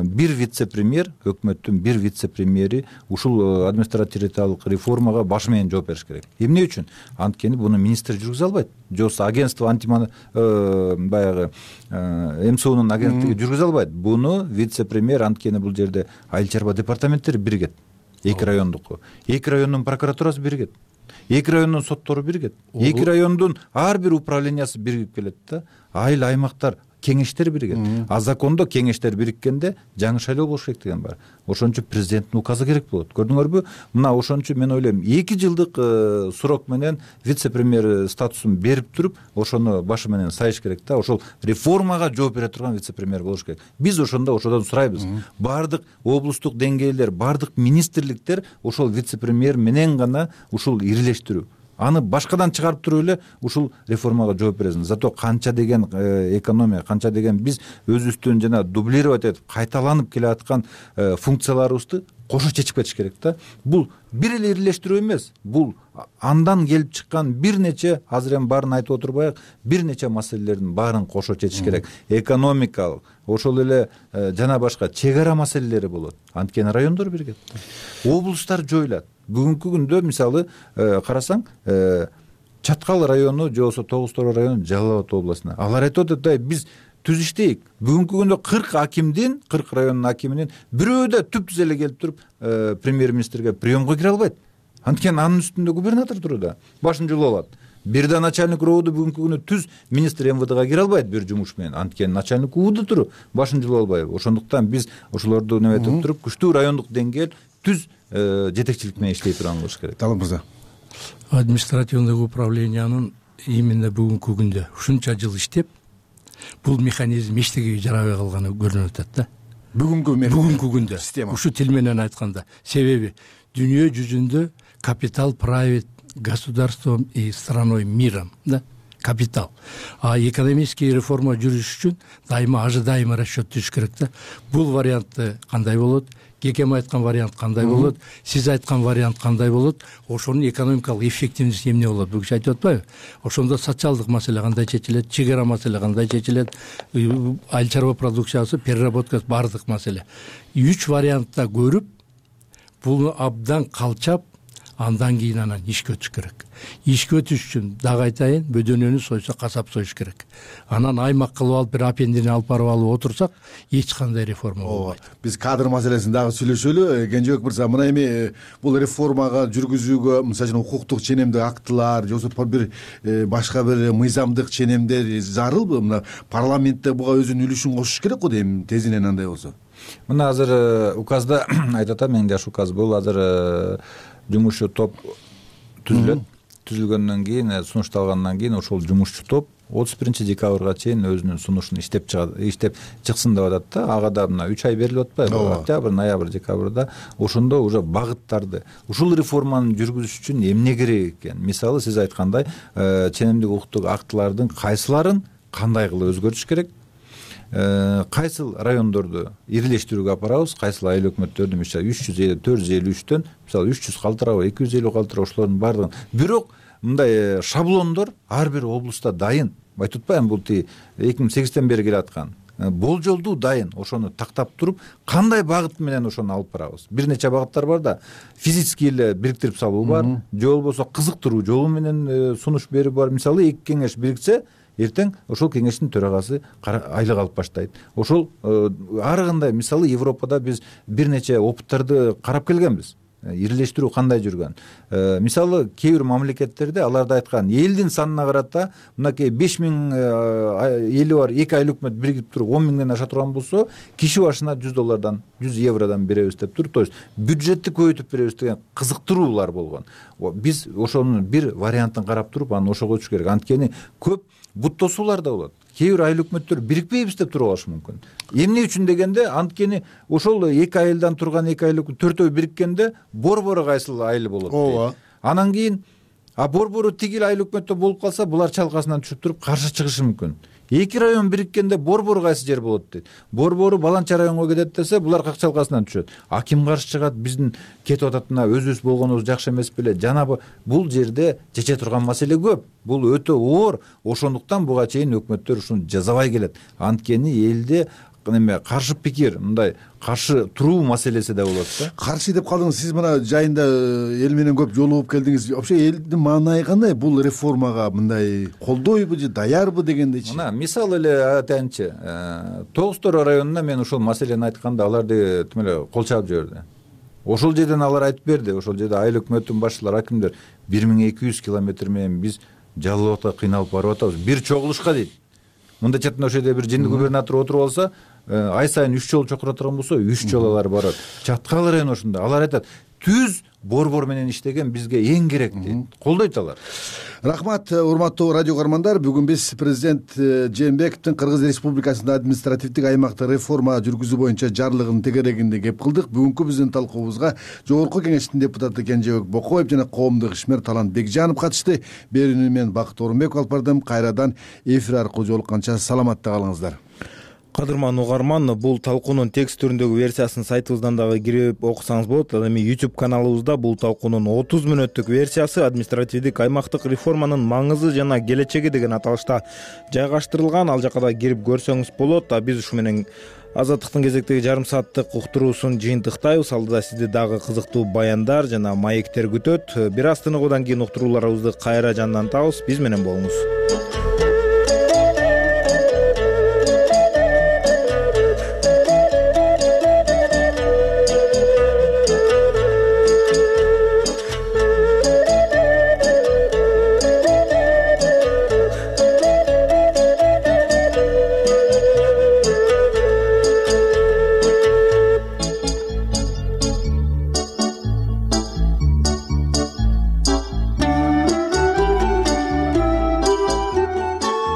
бир вице-премьер, өкмөттүн бир вице-премьери ушул административдик реформага башы менен жооп бериш керек. Эмне үчүн? Анткени буну министр жүргүзө албайт. Жокса агентство баягы МСУнун агенттиги жүргүзө албайт. Буну вице-премьер, анткени бул жерде айыл чарба департаменттери биригет. 2 райондук. 2 райондун прокуратурасы биригет. 2 райондун соттору биригет. 2 райондун ар бир управлениясы биригип келет да. Айыл аймактар кеңештер биригет. А закондо кеңештер бириккенде жаңы шайлоо болуш керек деген бар. Ошон үчүн президенттин указы керек болот. Көрдүңөрбү? Мына ошон үчүн мен ойлойм 2 жылдык срок менен вице-премьер статусун берип туруп, ошону башы менен сайыш керек да. Ошол реформага жооп бере турган вице-премьер болуш керек. Биз ошодон сурайбыз. Бардык облустук деңгээлдер, бардык министрликтер ошол вице-премьер менен гана ушул ирилештирүү. Аны башкадан чыгарып туруп эле ушул реформага жооп бересиң. Зато канча деген экономия, канча деген биз өзүбүздүн жана дублировать этип кайталанып келаткан функцияларыбызды кошо чечип кетиш керек да. Бул бир эле ирилештирүү эмес. Бул андан келип чыккан бир нече, азыр эми баарын айтып отурбайык, бир нече маселелердин баарын кошо чечиш керек. Экономикалык, ошол эле жана башка чек ара маселелери болот. Анткени райондор биригет. Облустар жоюлат. Бүгүнкү күндө мисалы карасаң, Чаткал району же болбосо Тогуз Тороо району Жалал Абад областына. Алар айтып атат, биз түз иштейик. Бүгүнкү күндө 40 акимдин, 40 райондун акиминин бирөө да түп-түз эле келип туруп премьер-министрге приемго кире албайт. Анткени анын үстүндө губернатор туруда, башын жулуп алат. Бир да начальник РОВДу бүгүнкү күндө түз министр МВДга кире албайт бир жумуш менен. Анткени начальник УВД туруп, башын жулуп албайбы. Ошондуктан биз ошолорду неметип туруп, күчтүү райондук деңгээл түз жетекчилик менен иштей турган болуш керек.
Талап мырза.
Административдик управлениянын именно бүгүнкү күндө ушунча жыл иштеп, бул механизм эчтегеге жарабай калганы көрүнүп атат да. Бүгүнкү күндө ушу тил менен айтканда. Себеби дүйнө жүзүндө капитал правит государством и страной миром, да? Капитал. А экономический реформа жүрүш үчүн дайыма ожидаемый расчет түзүш керек да. Бул вариантты кандай болот? Кекем айткан вариант кандай болот? Сиз айткан вариант кандай болот? Ошонун экономикалык эффективности эмне болот? Бүгүн айтып атпайбы? Ошондо социалдык маселе кандай чечилет, чек ара маселе кандай чечилет, айыл чарба продукциясы, переработкасы, бардык маселе. 3 вариантта көрүп, буну абдан калчап, андан кийин анан ишке өтүш керек. Ишке өтүш үчүн дагы айтайын, бөдөнөнү сойсо касап союш керек. Анан аймак кылып алып, бир апендини алып барып алып отурсак, эч кандай реформа болбойт.
Биз кадр маселесин дагы сүйлөшөлү. Кенжебек мырза, мына эми бул реформага жүргүзүүгө, мисалы үчүн укуктук ченемдик актылар, же болбосо бир башка бир мыйзамдык ченемдер зарылбы? Мына парламентте буга өзүнүн үлүшүн кошуш керек го дейм, тезинен андай болсо.
Мына азыр указда айтып атам, эң жакшы указ бул. Азыр жумушчу топ түзүлөт. Түзүлгөндөн кийин, сунушталгандан кийин ошол жумушчу топ 31 декабрга чейин өзүнүн сунушун иштеп чыксын деп атат да. Ага да мына 3 ай берилип атпайбы? Октябрь, ноябрь, декабрда. Ошондо уже багыттарды, ушул реформаны жүргүзүш үчүн эмне керек экен? Мисалы сиз айткандай, ченемдик укуктук актылардын кайсыларын кандай кылып өзгөртүш керек? Кайсыл райондорду ирилештирүүгө апарабыз, кайсыл айыл өкмөттөрдү мисалы 350, 453төн мисалы 300 калтырабы, 250 калтырабы, ошолордун баардыгын. Бирок мындай шаблондор ар бир облустта дайын. Айтып атпаймынбы, бул 2008тен бери келаткан. Болжолдуу дайын. Ошону тактап туруп, кандай багыт менен ошону алып барабыз? Бир нече багыттар бар да. Физически эле бириктирип салуу бар, же болбосо кызыктыруу жолу менен сунуш берүү бар. Мисалы 2 кеңеш бириксе, эртең ошол кеңештин төрагасы айлык алып баштайт. Ошол ар кандай, мисалы Европада биз бир нече опыттарды карап келгенбиз. Ирилештирүү кандай жүргөн. Мисалы кээ бир мамлекеттерде аларда айткан элдин санына карата мынакей 5000 эли бар 2 айыл өкмөт биригип туруп 10 миңден аша турган болсо, киши башына $100, €100 беребиз деп туруп, то есть бюджетти көбөйтүп беребиз деген кызыктыруулар болгон. Биз ошонун бир вариантын карап туруп, аны ошого өтүш керек. Анткени көп буттосуулар да болот. Кээ бир айыл өкмөттөр бирикпейбиз деп туруп алышы мүмкүн. Эмне үчүн дегенде, анткени ошол 2 айылдан турган 2 айыл төртөө бириккенде борбору кайсыл айыл болот дейт. Анан кийин борбору тигил айыл өкмөттө болуп калса, булар чалкасынан түшүп туруп каршы чыгышы мүмкүн. 2 район бириккенде борбору кайсы жер болот дейт. Борбору Баланча районго кетет десе, булар как чалкасынан түшөт. Ким каршы чыгат? Биздин кетип атат, мына өзүбүз болгонубуз жакшы эмес беле? Жана бул жерде чече турган маселе көп. Бул өтө оор. Ошондуктан буга чейин өкмөттөр ушуну жазабай келет. Анткени элде каршы пикир, мындай каршы туруу маселеси да болот да.
Каршы деп калдыңыз. Сиз мына жайында эл менен көп жолугуп келдиңиз. Вообще элдин маанайы кандай? Бул реформага мындай колдойбу же даярбы дегендейчи?
Мына мисал эле айтайынчы, Тогуз Тороо районуна мен ушул маселени айтканда аларды тим эле кол чаап жиберди. Ошол жерден алар айтып берди. Ошол жерде айыл өкмөттүн башчылары, акимдер 1200 километр менен биз Жалал Абадка кыйналып барып атабыз. Бир чогулушка дейт. мындай чатында ошол жерде бир жинди губернатор отуруп алса, ай сайын 3 жолу чакыра турган болсо 3 жолу алар барат. Чаткал району ошондой. Алар айтат, түз борбор менен иштеген бизге эң керек дейт. Колдойт алар.
Рахмат, урматтуу радио көрөрмандар. Бүгүн биз президент Жээнбековдун Кыргыз Республикасында административдик аймакта реформа жүргүзүү боюнча жарлыгынын тегерегинде кеп кылдык. Бүгүнкү биздин талкуубузга Жогорку Кеңештин депутаты Кенжебек Бокоев жана коомдук ишмер Талант Бекжанов катышты. Берүүнү мен Бакыт Орунбеков алып бардым. Кайрадан эфир аркылуу жолукканча саламатта калыңыздар.
Кадырман угарман, бул талкуунун текст түрүндөгү версиясын сайтыбыздан дагы кирип окусаңыз болот. Ал эми YouTube каналыбызда бул талкуунун 30 мүнөттүк версиясы административдик аймактык реформанын маңызы жана келечеги деген аталышта жайгаштырылган. Ал жака да кирип көрсөңүз болот. Биз ушу менен Азаттыктын кезектеги жарым сааттык уктуруусун жыйынтыктайбыз. Алдыда сизди дагы кызыктуу баяндар жана маектер күтөт. Бир аз тыныгуудан кийин уктурууларыбызды кайра жандантабыз. Биз менен болуңуз.